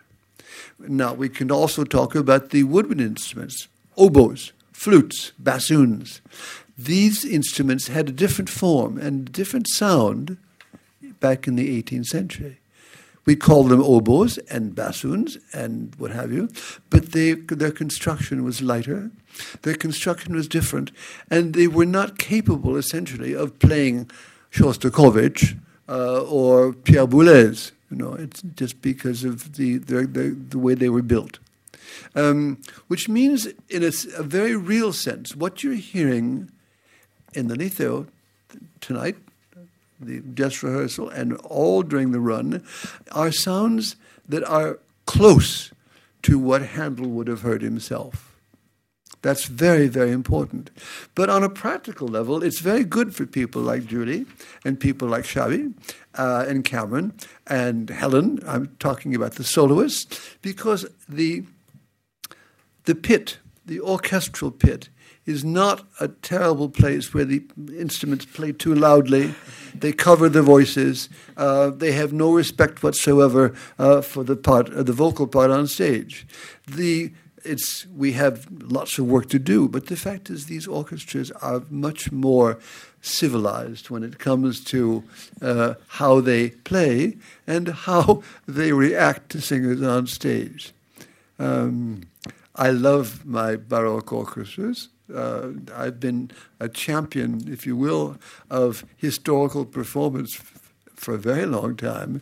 Now, we can also talk about the woodwind instruments, oboes, flutes, bassoons. These instruments had a different form and different sound back in the 18th century. We call them oboes and bassoons and what have you, but their construction was lighter, their construction was different, and they were not capable, essentially, of playing Shostakovich or Pierre Boulez. It's just because of the way they were built. Which means, in a very real sense, what you're hearing in the Liceo tonight, the dress rehearsal, and all during the run, are sounds that are close to what Handel would have heard himself. That's very, very important. But on a practical level, it's very good for people like Julie and people like Xavi and Cameron and Helen. I'm talking about the soloists, because the pit, the orchestral pit, is not a terrible place where the instruments play too loudly. They cover the voices. They have no respect whatsoever for the vocal part on stage. We have lots of work to do, but the fact is these orchestras are much more civilized when it comes to how they play and how they react to singers on stage. I love my Baroque orchestras. I've been a champion, if you will, of historical performance for a very long time.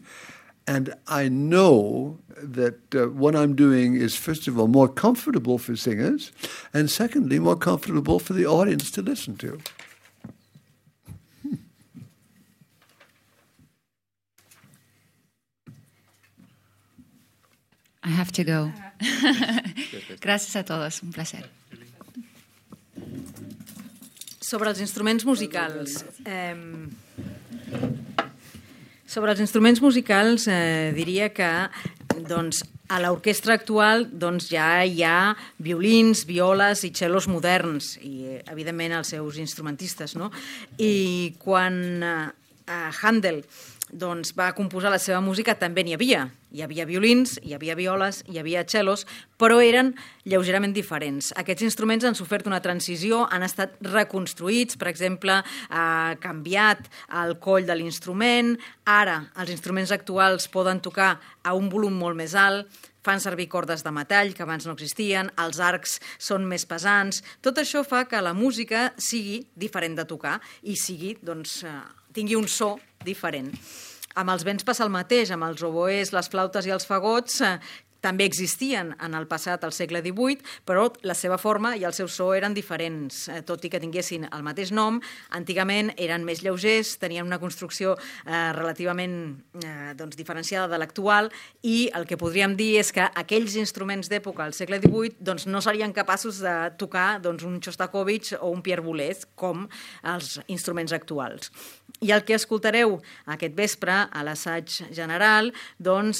And I know that what I'm doing is, first of all, more comfortable for singers, and secondly, more comfortable for the audience to listen to. I have to go. Gracias a todos, un placer. Sobre els instruments musicals. Diria que a l'orquestra actual ja hi ha violins, violes i cellos moderns i, evidentment, els seus instrumentistes. No? I quan Handel va composar la seva música també n'hi havia. Hi havia violins, hi havia violes, hi havia cellos, però eren lleugerament diferents. Aquests instruments han sofert una transició, han estat reconstruïts, per exemple, ha canviat el coll de l'instrument, ara els instruments actuals poden tocar a un volum molt més alt, fan servir cordes de metall que abans no existien, els arcs són més pesants. Tot això fa que la música sigui diferent de tocar i tingui un so diferent. Amb els vents passa el mateix, amb els oboès, les flautes i els fagots també existien en el passat, al segle XVIII, però la seva forma i el seu so eren diferents, tot i que tinguessin el mateix nom. Antigament eren més lleugers, tenien una construcció relativament diferenciada de l'actual, i el que podríem dir és que aquells instruments d'època al segle XVIII no serien capaços de tocar un Shostakovich o un Pierre Boulez com els instruments actuals. I el que escoltareu aquest vespre a l'assaig general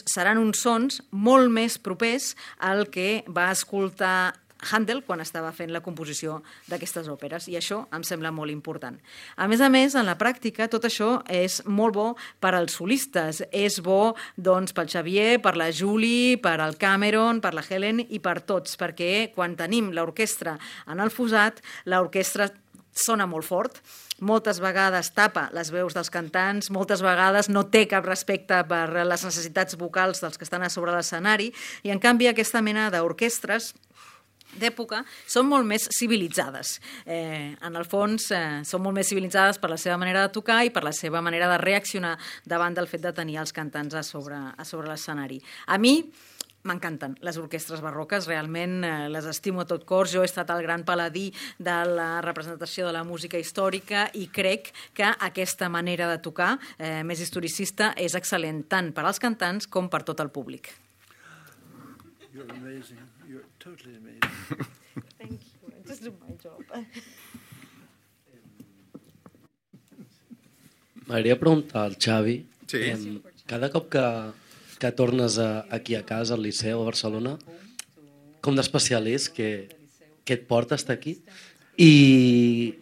seran uns sons molt més propers al que va escoltar Handel quan estava fent la composició d'aquestes òperes, i això em sembla molt important. A més, en la pràctica, tot això és molt bo per als solistes, és bo pel Xavier, per la Julie, per al Cameron, per la Helen i per tots, perquè quan tenim l'orquestra en el fossat, l'orquestra sona molt fort, moltes vegades tapa les veus dels cantants, moltes vegades no té cap respecte per les necessitats vocals dels que estan a sobre l'escenari, i en canvi aquesta mena d'orquestres d'època són molt més civilitzades. En el fons, són molt més civilitzades per la seva manera de tocar i per la seva manera de reaccionar davant del fet de tenir els cantants a sobre l'escenari. A mi M'encanten les orquestres barroques, realment les estimo a tot cor. Jo he estat el gran paladí de la representació de la música històrica i crec que aquesta manera de tocar més historicista és excel·lent tant per als cantants com per tot el públic. You're amazing. You're totally amazing. Thank you. I just do my job. M'agradaria preguntar al Xavi, Sí. cada cop que tornes aquí a casa, al Liceu, a Barcelona, com d'especial és que et porta estar aquí? I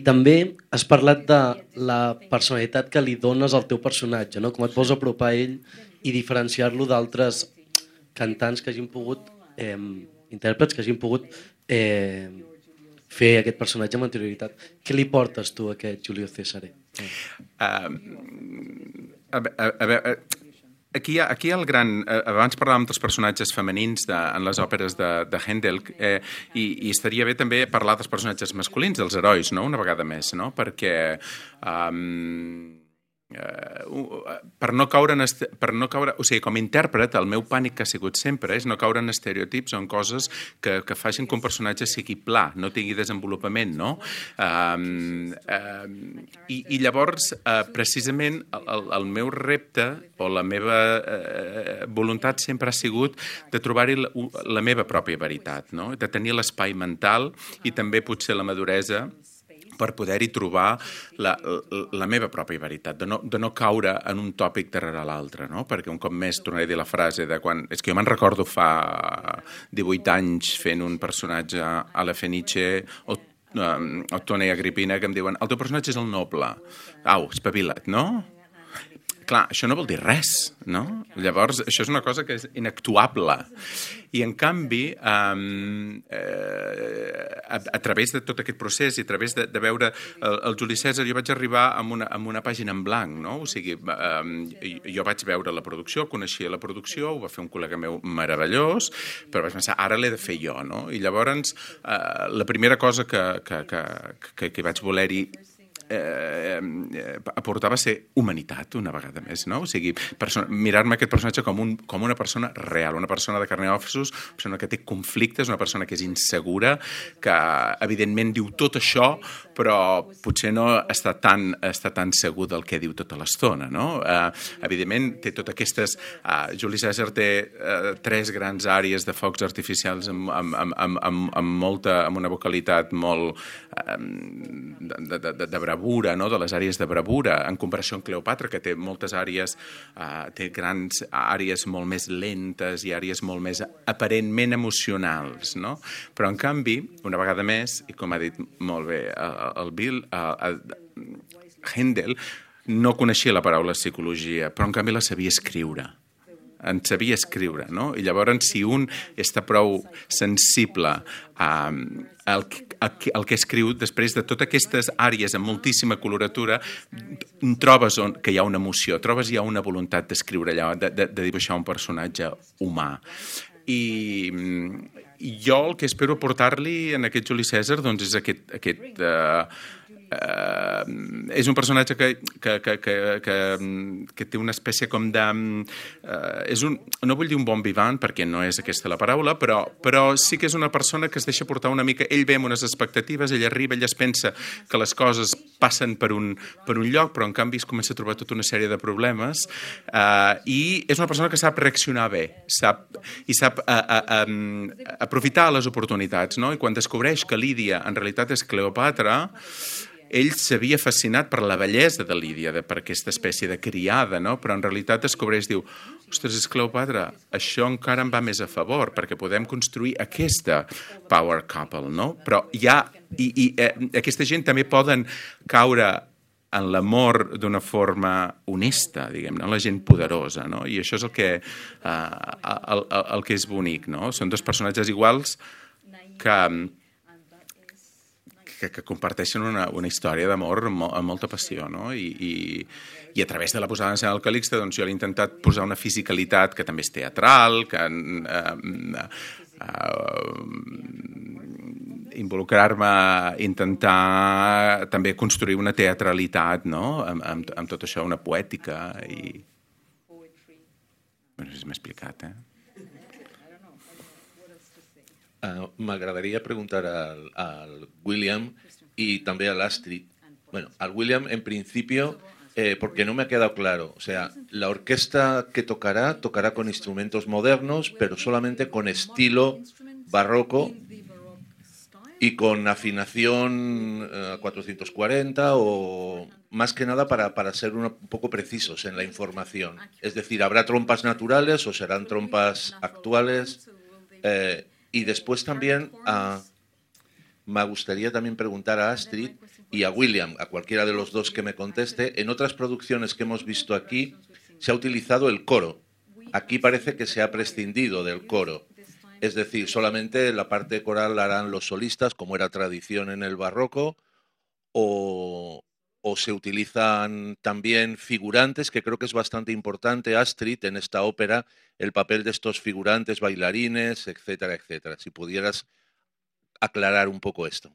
també has parlat de la personalitat que li dones al teu personatge, no? Com et vols apropar a ell i diferenciar-lo d'altres cantants que hagin pogut, intèrprets que hagin pogut fer aquest personatge amb anterioritat. Què li portes tu a aquest Giulio Cesare? Aquí el gran... Abans parlàvem dels personatges femenins en les òperes de Händel i estaria bé també parlar dels personatges masculins, dels herois, no? Una vegada més, no? Perquè per no caure, o sigui, com a intèrpret, el meu pànic que ha sigut sempre és no caure en estereotips o en coses que facin que un personatge sigui pla, no tingui desenvolupament, no? I llavors, precisament, el meu repte o la meva voluntat sempre ha sigut de trobar-hi la meva pròpia veritat, no? De tenir l'espai mental i també potser la maduresa per poder-hi trobar la meva pròpia veritat, de no caure en un tòpic darrere l'altre, no? Perquè un cop més tornaré a dir la frase de quan... És que jo me'n recordo fa 18 anys fent un personatge a la Fenice o Ottone i Agrippina que em diuen el teu personatge és el noble. Au, espavila't, no? Clar, això no vol dir res, no? Llavors, això és una cosa que és inactuable. I, en canvi, a través de tot aquest procés i a través de veure el Juli Cèsar, jo vaig arribar amb una pàgina en blanc, no? O sigui, jo vaig veure la producció, coneixia la producció, ho va fer un col·lega meu meravellós, però vaig pensar, ara l'he de fer jo, no? I llavors, la primera cosa que vaig voler-hi aportava ser humanitat una vegada més, no? O sigui, mirar-me aquest personatge com una persona real, una persona de carn i ossos, una persona que té conflictes, una persona que és insegura, que evidentment diu tot això, però potser no està tan segur del que diu tota l'estona, no? Evidentment té totes aquestes... Juli Cèsar té 3 grans àrees de focs artificials amb una vocalitat molt de bravura, no? De les àrees de bravura, en comparació amb Cleopatra, que té moltes àrees, té grans àrees molt més lentes i àrees molt més aparentment emocionals, no? Però, en canvi, una vegada més, i com ha dit molt bé el Bill, Händel no coneixia la paraula psicologia, però, en canvi, la sabia escriure. En sabia escriure, no? I llavors, si un està prou sensible al que escriu, després de totes aquestes àrees amb moltíssima coloratura, trobes que hi ha una emoció, trobes hi ha una voluntat d'escriure allà, de dibuixar un personatge humà. I jo el que espero portar-li en aquest Juli Cèsar doncs és aquest és un personatge que té una espècie com de... no vull dir un bon vivant, perquè no és aquesta la paraula, però sí que és una persona que es deixa portar una mica... Ell ve amb unes expectatives, ell arriba, ell es pensa que les coses passen per un lloc, però en canvi es comença a trobar tota una sèrie de problemes, i és una persona que sap reaccionar bé, sap aprofitar les oportunitats, no? I quan descobreix que Lídia en realitat és Cleopatra, ell s'havia fascinat per la bellesa de Lídia, per aquesta espècie de criada, no? Però en realitat descobreix, diu, ostres, és Cleopatra, això encara em va més a favor, perquè podem construir aquesta power couple, no? Però aquesta gent també poden caure en l'amor d'una forma honesta, diguem-ne, la gent poderosa, no? I això és el que és bonic, no? Són 2 personatges iguals que comparteixen una història d'amor amb molta passió, no? I a través de la posada en escena del Calixte, doncs jo he intentat posar una fisicalitat que també és teatral, que involucrar-me, intentar també construir una teatralitat, no? Amb tot això, una poètica i... Bueno, no sé si m'he explicat, M'agradaria preguntar al William y también al Astrid. Bueno, al William en principio, porque no me ha quedado claro. O sea, la orquesta que tocará con instrumentos modernos, pero solamente con estilo barroco y con afinación a 440 o más que nada para ser un poco precisos en la información. Es decir, ¿habrá trompas naturales o serán trompas actuales? Y después también me gustaría también preguntar a Astrid y a William, a cualquiera de los dos que me conteste, en otras producciones que hemos visto aquí se ha utilizado el coro. Aquí parece que se ha prescindido del coro. Es decir, solamente la parte coral la harán los solistas, como era tradición en el barroco, o se utilizan también figurantes, que creo que es bastante importante, Astrid, en esta ópera, el papel de estos figurantes, bailarines, etcétera, etcétera. Si pudieras aclarar un poco esto.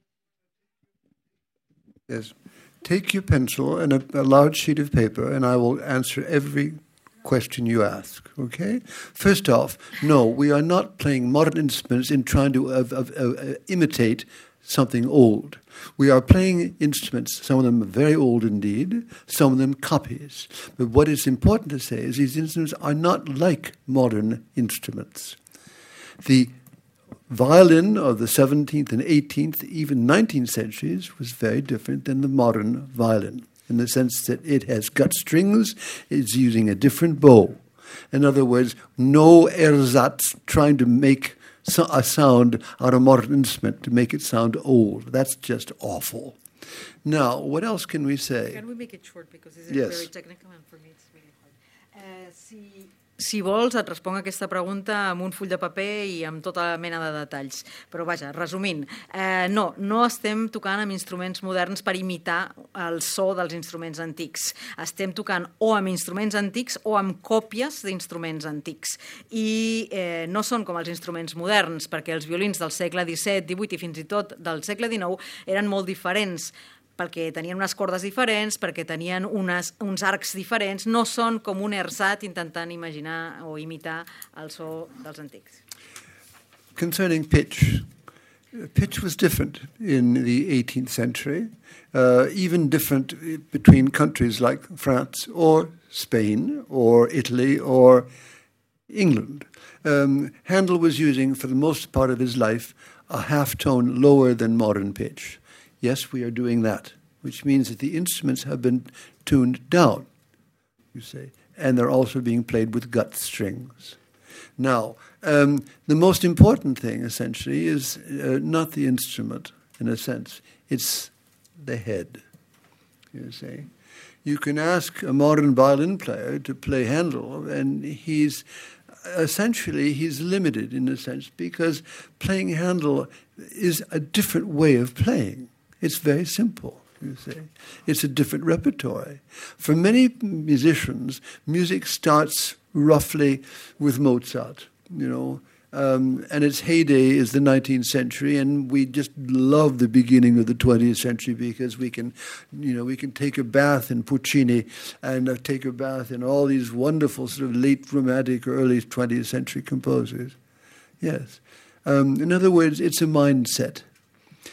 Yes. Take your pencil and a large sheet of paper, and I will answer every question you ask, okay? First off, no, we are not playing modern instruments in trying to imitate something old. We are playing instruments, some of them very old indeed, some of them copies. But what is important to say is these instruments are not like modern instruments. The violin of the 17th and 18th, even 19th centuries was very different than the modern violin, in the sense that it has gut strings, it's using a different bow. In other words, no ersatz trying to make a sound out of a modern instrument to make it sound old. That's just awful. Now, what else can we say? Can we make it short, because this is Yes. very technical and for me it's really hard. Si vols, et responc aquesta pregunta amb un full de paper i amb tota mena de detalls. Però vaja, resumint, no estem tocant amb instruments moderns per imitar el so dels instruments antics. Estem tocant o amb instruments antics o amb còpies d'instruments antics. I no són com els instruments moderns, perquè els violins del segle XVII, XVIII i fins i tot del segle XIX eren molt diferents, perquè tenien unes cordes diferents, perquè tenien uns arcs diferents, no són com un ersat intentant imaginar o imitar el so dels antics. Concerning pitch, pitch was different in the 18th century, even different between countries like France or Spain or Italy or England. Handel was using, for the most part of his life, a half tone lower than modern pitch. Yes, we are doing that, which means that the instruments have been tuned down, you say, and they're also being played with gut strings. Now, the most important thing, essentially, is not the instrument, in a sense. It's the head, you see. You can ask a modern violin player to play Handel, and he's limited, in a sense, because playing Handel is a different way of playing. It's very simple, you see. It's a different repertoire. For many musicians, music starts roughly with Mozart, and its heyday is the 19th century, and we just love the beginning of the 20th century because we can take a bath in Puccini and take a bath in all these wonderful sort of late romantic or early 20th century composers. Yes. In other words, it's a mindset.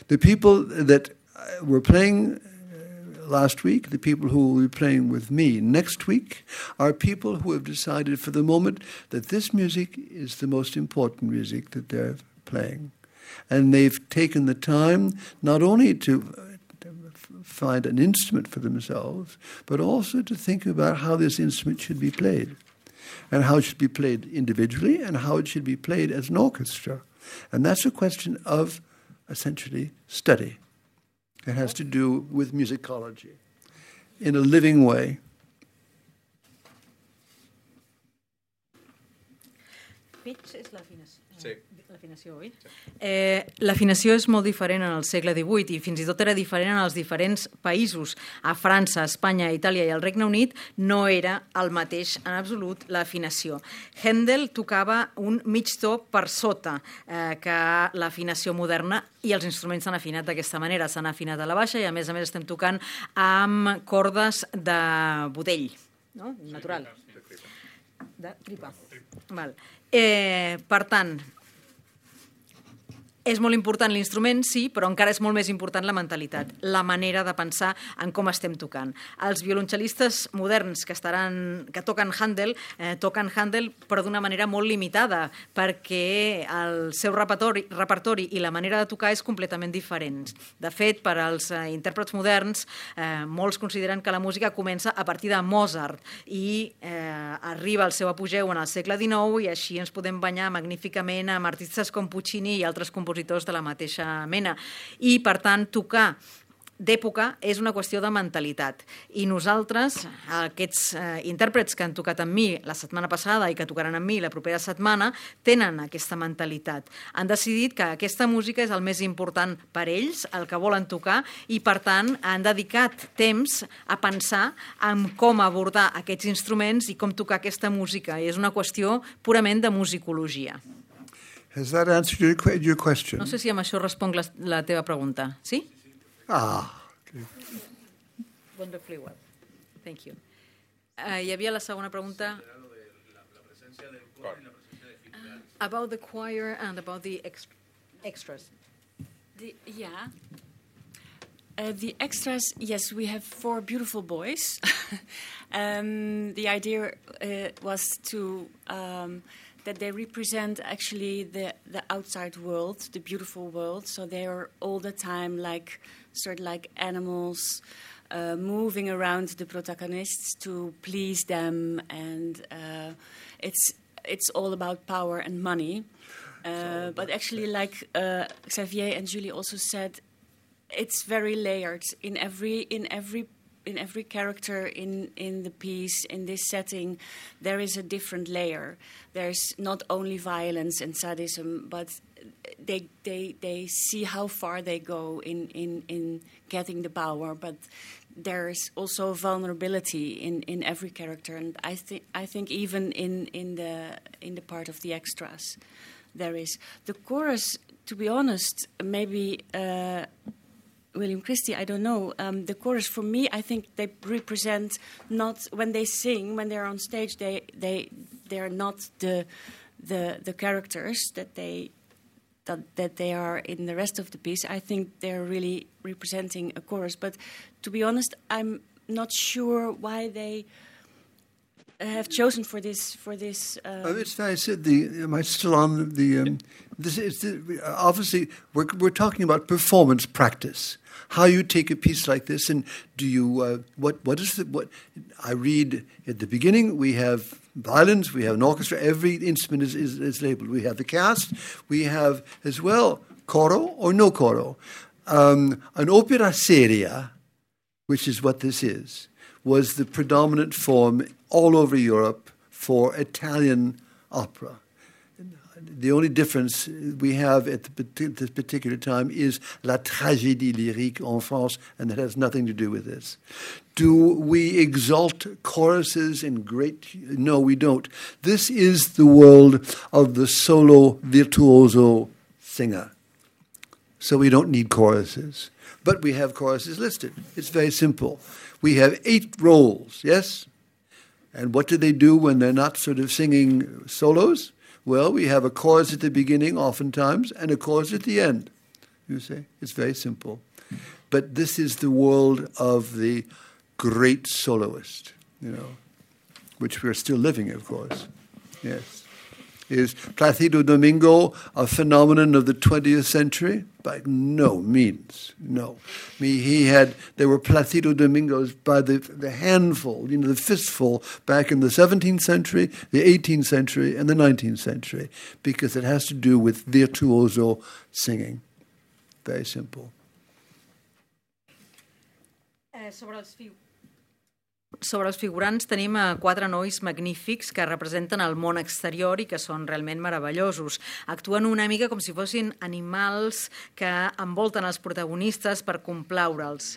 The people that were playing last week, the people who will be playing with me next week, are people who have decided for the moment that this music is the most important music that they're playing. And they've taken the time not only to find an instrument for themselves, but also to think about how this instrument should be played, and how it should be played individually, and how it should be played as an orchestra. And that's a question of, essentially, study. It has to do with musicology in a living way. Pitch és l'afinació. Sí. L'afinació, oi? L'afinació és molt diferent en el segle XVIII i fins i tot era diferent en els diferents països. A França, Espanya, Itàlia i el Regne Unit no era el mateix en absolut l'afinació. Handel tocava un mig to per sota que l'afinació moderna i els instruments s'han afinat d'aquesta manera. S'han afinat a la baixa i a més estem tocant amb cordes de budell, no? Natural. De tripa. Val. Per tant, És molt important l'instrument, sí, però encara és molt més important la mentalitat, la manera de pensar en com estem tocant. Els violoncel·listes moderns que toquen Handel però d'una manera molt limitada, perquè el seu repertori i la manera de tocar és completament diferent. De fet, per als intèrprets moderns, molts consideren que la música comença a partir de Mozart i arriba al seu apogeu en el segle XIX i així ens podem banyar magníficament amb artistes com Puccini i altres compositors de la mateixa mena. I, per tant, tocar d'època és una qüestió de mentalitat. I nosaltres, aquests intèrprets que han tocat amb mi la setmana passada i que tocaran amb mi la propera setmana, tenen aquesta mentalitat. Han decidit que aquesta música és el més important per ells, el que volen tocar, i per tant han dedicat temps a pensar en com abordar aquests instruments i com tocar aquesta música. I és una qüestió purament de musicologia. Has that answered your question? No sé si amb això responc la teva pregunta. Sí? Okay. Wonderfully well. Thank you. Hi havia la segona pregunta. About the choir and about the extras. The extras, yes, we have 4 beautiful boys. The idea was to that they represent actually the outside world, the beautiful world. So they are all the time like animals moving around the protagonists to please them, and it's all about power and money. But actually, like Xavier and Julie also said, it's very layered in every character in the piece, in this setting. There is a different layer. There's not only violence and sadism, but they see how far they go in getting the power, but there's also vulnerability in every character, and I think even in the part of the extras there is. The chorus, to be honest, maybe William Christie, I don't know. The chorus, for me, I think they represent not when they sing, when they're on stage, they're not the characters that they are in the rest of the piece. I think they're really representing a chorus. But to be honest, I'm not sure why they have chosen for this. It's nice. Am I still on the? This is obviously we're talking about performance practice. How you take a piece like this, and do you what is what I read at the beginning? We have violins, we have an orchestra. Every instrument is labeled. We have the cast. We have as well coro or no coro. An opera seria, which is what this is, was the predominant form all over Europe for Italian opera. The only difference we have at this particular time is la tragédie lyrique en France, and that has nothing to do with this. Do we exalt choruses in great... No, we don't. This is the world of the solo virtuoso singer. So we don't need choruses. But we have choruses listed. It's very simple. We have 8 roles, yes? And what do they do when they're not sort of singing solos? Well, we have a chorus at the beginning oftentimes and a chorus at the end. You see, it's very simple. But this is the world of the great soloist, which we're still living, of course. Yes. Is Placido Domingo a phenomenon of the 20th century? By no means, no. There were Placido Domingos by the handful, the fistful, back in the 17th century, the 18th century, and the 19th century, because it has to do with virtuoso singing. Very simple. Sobre els figurants tenim 4 nois magnífics que representen el món exterior i que són realment meravellosos. Actuen una mica com si fossin animals que envolten els protagonistes per complaure'ls.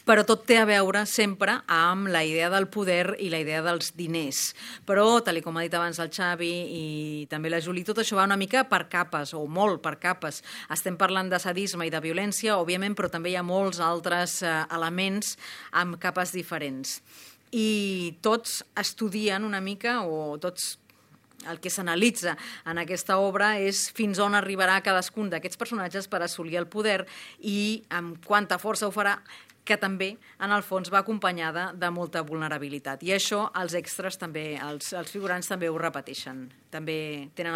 Però tot té a veure sempre amb la idea del poder i la idea dels diners. Però, tal com ha dit abans el Xavi i també la Julie, tot això va una mica per capes, o molt per capes. Estem parlant de sadisme i de violència, òbviament, però també hi ha molts altres elements amb capes diferents. I tots estudien una mica, o tots el que s'analitza en aquesta obra és fins on arribarà cadascun d'aquests personatges per assolir el poder i amb quanta força ho farà, que també, en el fons, va acompanyada de molta vulnerabilitat. I això els extras també, els figurants també ho repeteixen, també tenen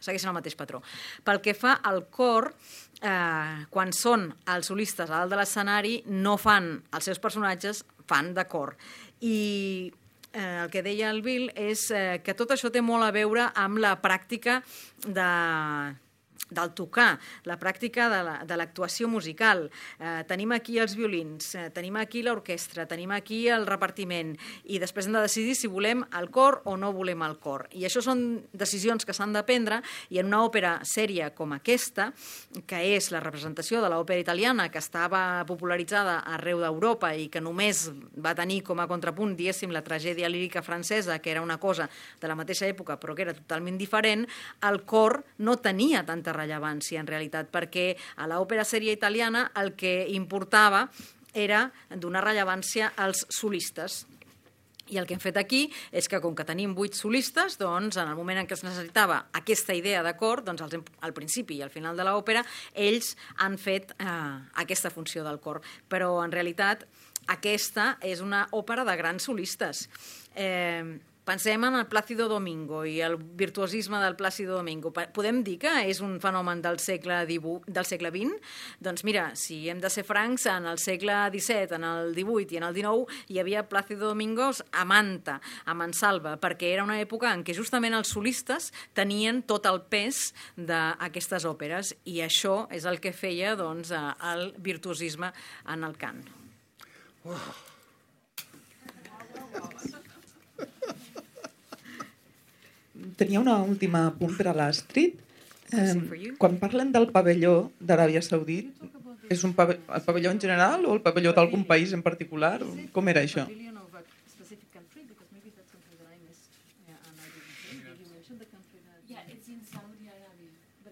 segueixen el mateix patró. Pel que fa al cor, quan són els solistes a dalt de l'escenari, no fan els seus personatges, fan de cor. I el que deia el Bill és que tot això té molt a veure amb la pràctica del tocar, la pràctica de l'actuació musical. Tenim aquí els violins, tenim aquí l'orquestra, tenim aquí el repartiment i després hem de decidir si volem el cor o no volem el cor. I això són decisions que s'han de prendre i en una òpera sèria com aquesta, que és la representació de l'òpera italiana que estava popularitzada arreu d'Europa i que només va tenir com a contrapunt, diguéssim, la tragèdia lírica francesa, que era una cosa de la mateixa època però que era totalment diferent, el cor no tenia tanta rellevància en realitat, perquè a l'òpera sèria italiana el que importava era donar rellevància als solistes. I el que hem fet aquí és que, com que tenim 8 solistes, doncs, en el moment en què es necessitava aquesta idea de cor, doncs, al principi i al final de l'òpera, ells han fet aquesta funció del cor. Però, en realitat, aquesta és una òpera de grans solistes. Pensem en el Plácido Domingo i el virtuosisme del Plácido Domingo. Podem dir que és un fenomen del segle XX? Doncs mira, si hem de ser francs, en el segle XVII, en el XVIII i en el XIX hi havia Plácido Domingos a Manta, a Mansalva, perquè era una època en què justament els solistes tenien tot el pes d'aquestes òperes i això és el que feia doncs, el virtuosisme en el cant. Tenia una última apunt per a l'Astrid. Quan parlen del pavelló d'Aràbia Saudita, és el pavelló en general o el pavelló d'algun país en particular? Com era això?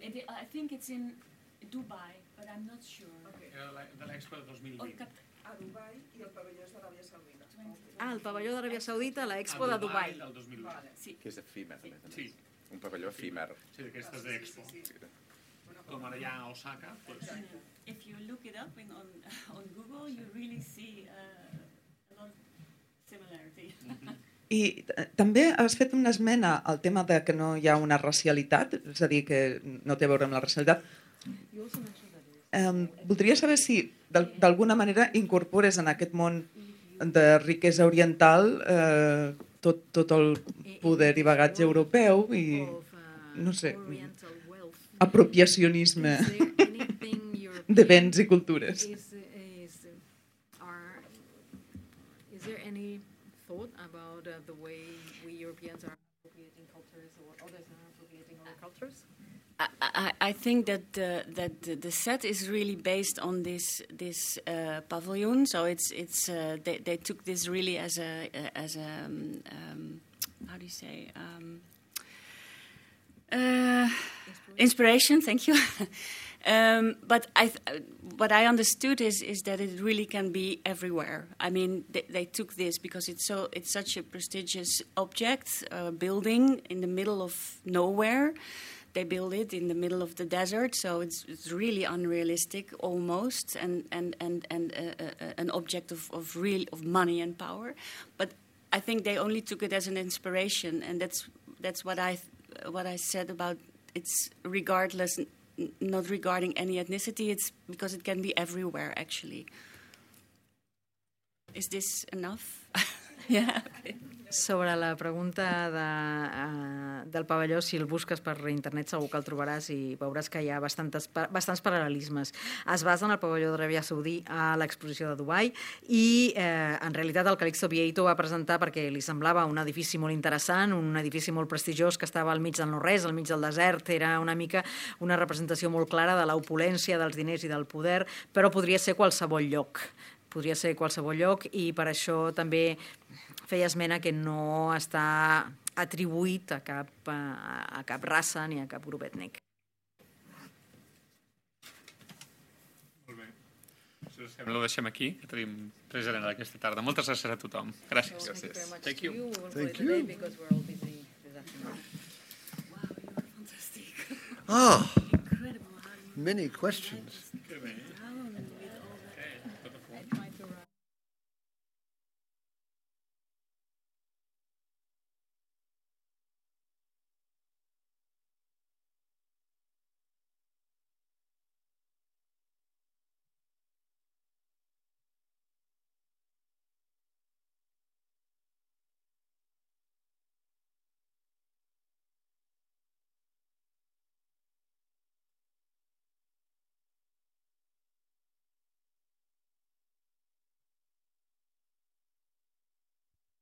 I think it's in Dubai, but I'm not sure. De l'Expo de 2020. A Dubai i el pavelló és d'Aràbia Saudita. El pavelló d'Aràbia Saudita a l'Expo de Dubai. El 2020. Sí. Que és efímer, a més a més. Sí. Un pavelló efímer. Sí, d'aquestes d'Expo. Com ara hi ha a Osaka. If you look it up on Google, you really see a lot of similarity. I també has fet una esmena al tema de que no hi ha una racialitat, és a dir, que no té a veure amb la racialitat. Voldria saber si d'alguna manera incorpores en aquest món de riquesa oriental tot el poder i bagatge europeu i, no sé, apropiacionisme de béns i cultures. Is there any thought about the way we Europeans are appropriating cultures or others are appropriating other cultures? I think that the set is really based on this pavilion. So they took this really as a how do you say inspiration. Thank you. But what I understood is that it really can be everywhere. I mean, they took this because it's such a prestigious object, building in the middle of nowhere. They build it in the middle of the desert, so it's really unrealistic almost, and an object of money and power. But I think they only took it as an inspiration, and that's what I said about it's regardless, not regarding any ethnicity. It's because it can be everywhere actually. Is this enough? Yeah. Okay. Sobre la pregunta del pavelló, si el busques per internet segur que el trobaràs i veuràs que hi ha bastants paral·lelismes. Es basa en el pavelló d'Aràbia Saudita a l'exposició de Dubai i en realitat el Calixto Vieito va presentar perquè li semblava un edifici molt interessant, un edifici molt prestigiós que estava al mig del no-res, al mig del desert. Era una mica una representació molt clara de l'opulència, dels diners i del poder, però podria ser qualsevol lloc. Podria ser qualsevol lloc i per això també feia esmena que no està atribuït a cap raça ni a cap grup ètnic. Molt bé. Ho deixem aquí, que tenim res a d'aquesta tarda. Moltes gràcies a tothom. Gràcies. Gràcies. Thank you. Thank you. Ah, many questions.